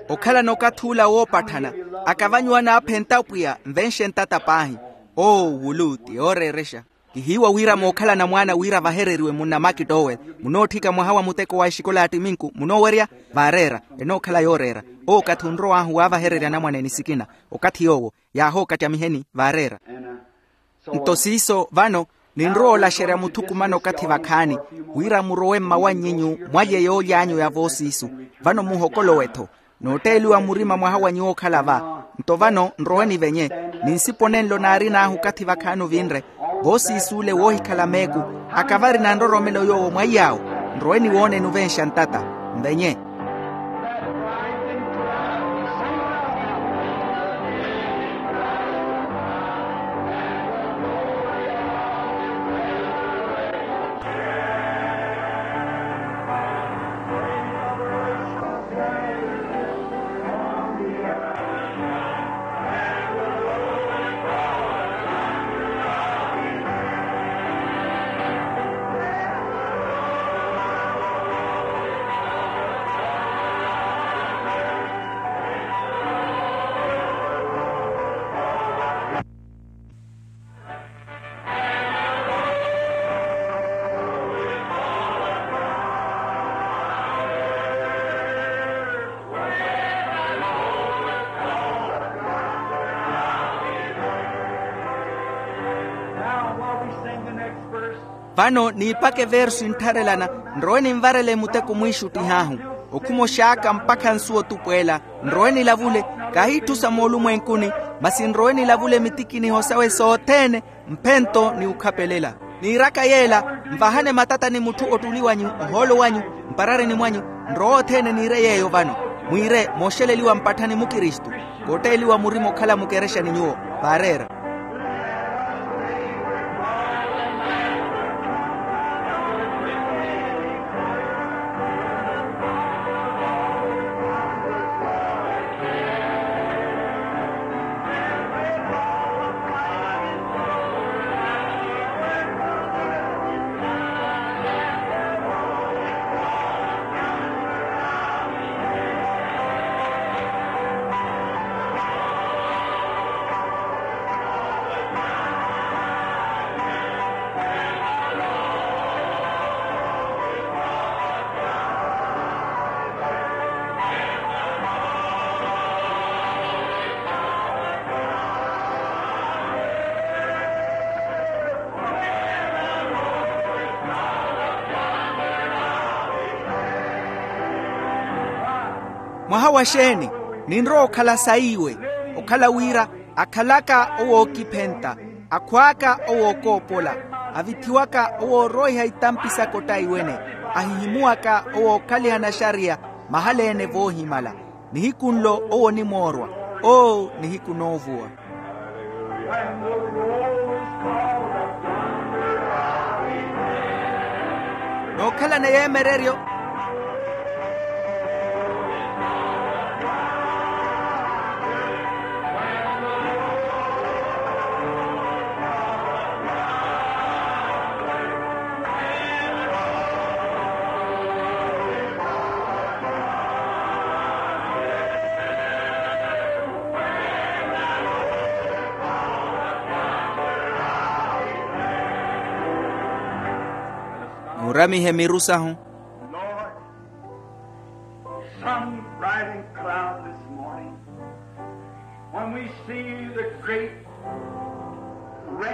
Okhalana okathi ula woopatthana, akavanyu anaaphenta pwiya nvenxe ntata paahi. Oo wulu ti yooreerexa. Kihiiwa wira mookhalana mwaana wira vahereriwe munna makitowel, munootthika mwaha wa muteko wa exikola ya ttiminku munoowerya. Vaareera. Enookhala yooreera. Owo okathi onrow'ahu waavahererya anamwaneene sikina. Okathi yoowo yaahookatyamiheni vaareera. Nto siiso vano, ninrowa olaxerya muthukumano okathi vakhaani, wira murowe mmawanny'inyu mwalye yooly'anyu ya voosiisu. Vano muhokolowe-tho. Nootteeliwa murima mwaha wa nyuwo okhala va. Nto vano nrowe nivenye, ni nsipo nenlo naarin'ahu okathi vakhaani ovinre. Voosiisuule woohikhala meeku, akavari na nroromelo yoowo mwaiy'awo. Nrowe niwooneni ovenxa ntata. Nvenye. Vano niipaka eversu enttharelana. Nrowe ninvarele muteko mwiixuttih'ahu. Okhuma oxaaka mpakha nsuwa otupweela. Nrowe nilavule. Kahiitthusa moolumwenkuni, masi nrowe nilavule mitikiniho sawe sothene. Mphento ni okhapelela. Niiraka yeela, nvahane matata ni mutthu ottuli wanyu, ohoolo wanyu, mpararini mwanyu. Nrowe othene niire yeeyo vano. Mwiire mooxeleliwa mpatthani mukristu. Kootteeliwa murima okhala mukerexani nyuwo. Vaareera. Mwaha wa xeeni? Ninrowa okhala saiwe. Okhala wira akhalaka owookiphenta, akhwaaka owookoopola, avithiwaka owoorooiha itampi saka ottaiwene, ahihimuwaka owookhaliha naxariya mahala-ene voohimala. Nihiku nlo owo onimoorwa. Oo, nihiku noovuwa. Nookhalana yeemereryo. Muuramihe miru sahu. Lord, some bright and cloud this morning, when we see the great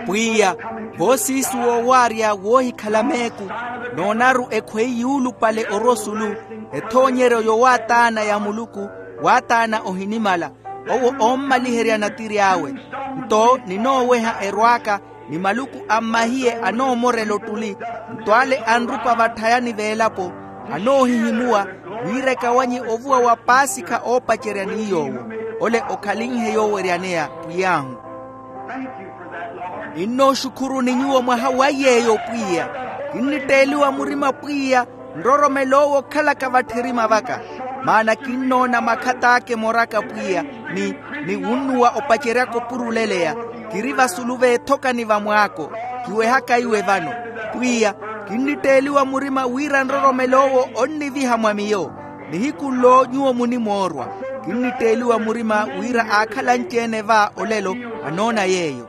rainbow coming to the sky. Pwiya, voosiisu woowaarya woohikhala meeku, noonaru ekhweyi yuulupale orosulu, ethoonyeryo yowaataana ya muluku, waataana ohinimala, owo oommaliherya natiri awe. Nto ninooweha erwaaka, ni maluku a mmahiye anoomorela ottuli, nto ale anrupa vatthayani veelapo, anoohihimuwa, wira ekawanye ovuwa wa paasikha oopacerya ni yoowo. Ole okhalinhe yooweryaneya pwiy'ahu. Kinnooxukhuruni nyuwo mwaha wa yeeyo pwiya. Kinnitteeliwa murima pwiya, nroromelo owo okhalaka vatthirima vaka. Maana kinnoona makhat'aka emoraka pwiya, ni ni wunnuwa opaceryaka opuruleleya. Kiri vasulu veethokani va mwaako. Kiwehaka iwe vano. Pwiya, kinnitteeliwa murima wira nroromelo owo onniviha mwa miyo. Nihiku nlo nyuwo munimoorwa. Kinnitteeliwa murima wira aakhala anci-ene va olelo anoona yeeyo.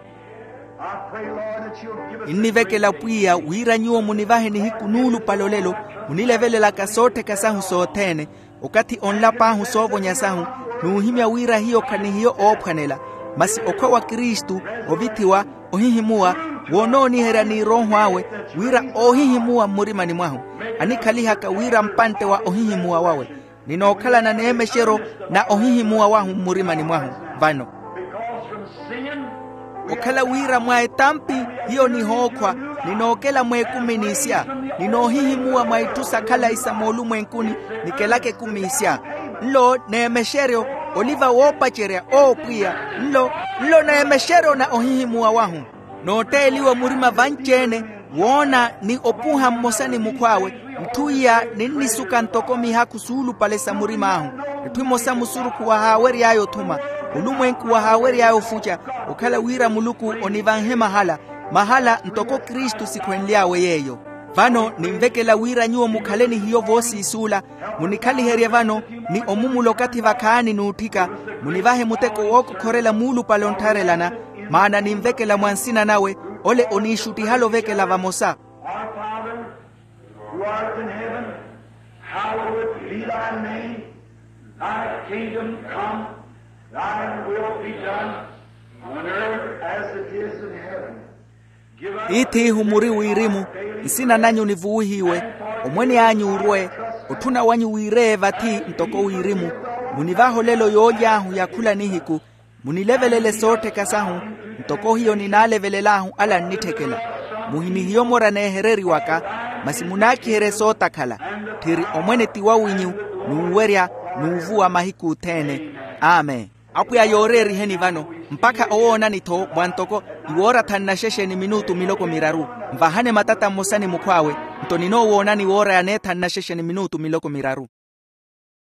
Kinnivekela pwiya wira nyuwo munivahe nihiku nuulupale olelo, munilevelelaka soottheka sahu sothene, okathi onlap'ahu soovonya sahu, n'uhimya wira hiyo khanihiyo oophwanela, masi okhwa wa kristu, ovithiwa, ohihimuwa, woonooniherya ni erooho awe, wira oohihimuwa mmurimani mwahu, anikhalihaka wira mpantte wa ohihimuwa wawe. Ninookhalana n'emexeryo na ohihimuwa wahu mmurimani mwahu vano. Okhala wira mwa etampi hiyo nihookhwa, ninookela mweekumi n'isya. Ninoohihimuwa mwa itthu sa khalayi sa moolumwenkuni, nikelaka ekumi isya. Nlo n'emexeryo, oliva woopacerya. Oo pwiya, nlo nlo n'emexeryo na ohihimuwa wahu. Nootteeliwa murima vanci-ene, woona ni opuha mmosa ni mukhw'awe. Itthu iya ninnisuka ntoko mihaakhu suulupale sa murim'ahu. Etthu emosa musurukhu wahaawery'aya othuma, olumwenku wahaawery'aya ofuca, okhala wira muluku onivanhe mahala, mahala ntoko kristu sikhwenly'awe yeeyo. Vano ninvekela wira nyuwo mukhale ni hiyo voosiisuula, munikhaliherye vano, ni omumula okathi vakhaani n'utthika, munivahe muteko wookokhorela muulupale onttharelana, maana ninvekela mwa nsina nawe, ole oniixuttihala ovekela vamosa. Our Father, who art in heaven, hallowed be thy name. Thy kingdom come, thy will be done on earth as it is in heaven. Tiith'ihu muri wirimu, nsina nanyu nivuwihiwe, omwene anyu orwe, otthuna wanyu wiireye vathi ntoko wirimu. Munivahe olelo yooly'ahu ya khula nihiku, munilevelele soottheka sahu, ntoko hiyo ninaalevelel'ahu ala annitthekela. Muhinihiye omora neehereriwaka, masi munaakiherye sootakhala. Tthiri omwene ti wawinyu, n'uwerya, n'uvuwa mahiku othene. Amen. Apwiya yooreeriheni vano, mpakha owoonani-tho mwa ntoko iwoora thanu na xexe ni minutu miloko miraru. Nvahane matata mmosa ni mukhw'awe, nto ninoowoonani woora ya neethanu na xexe ni minutu miloko miraru.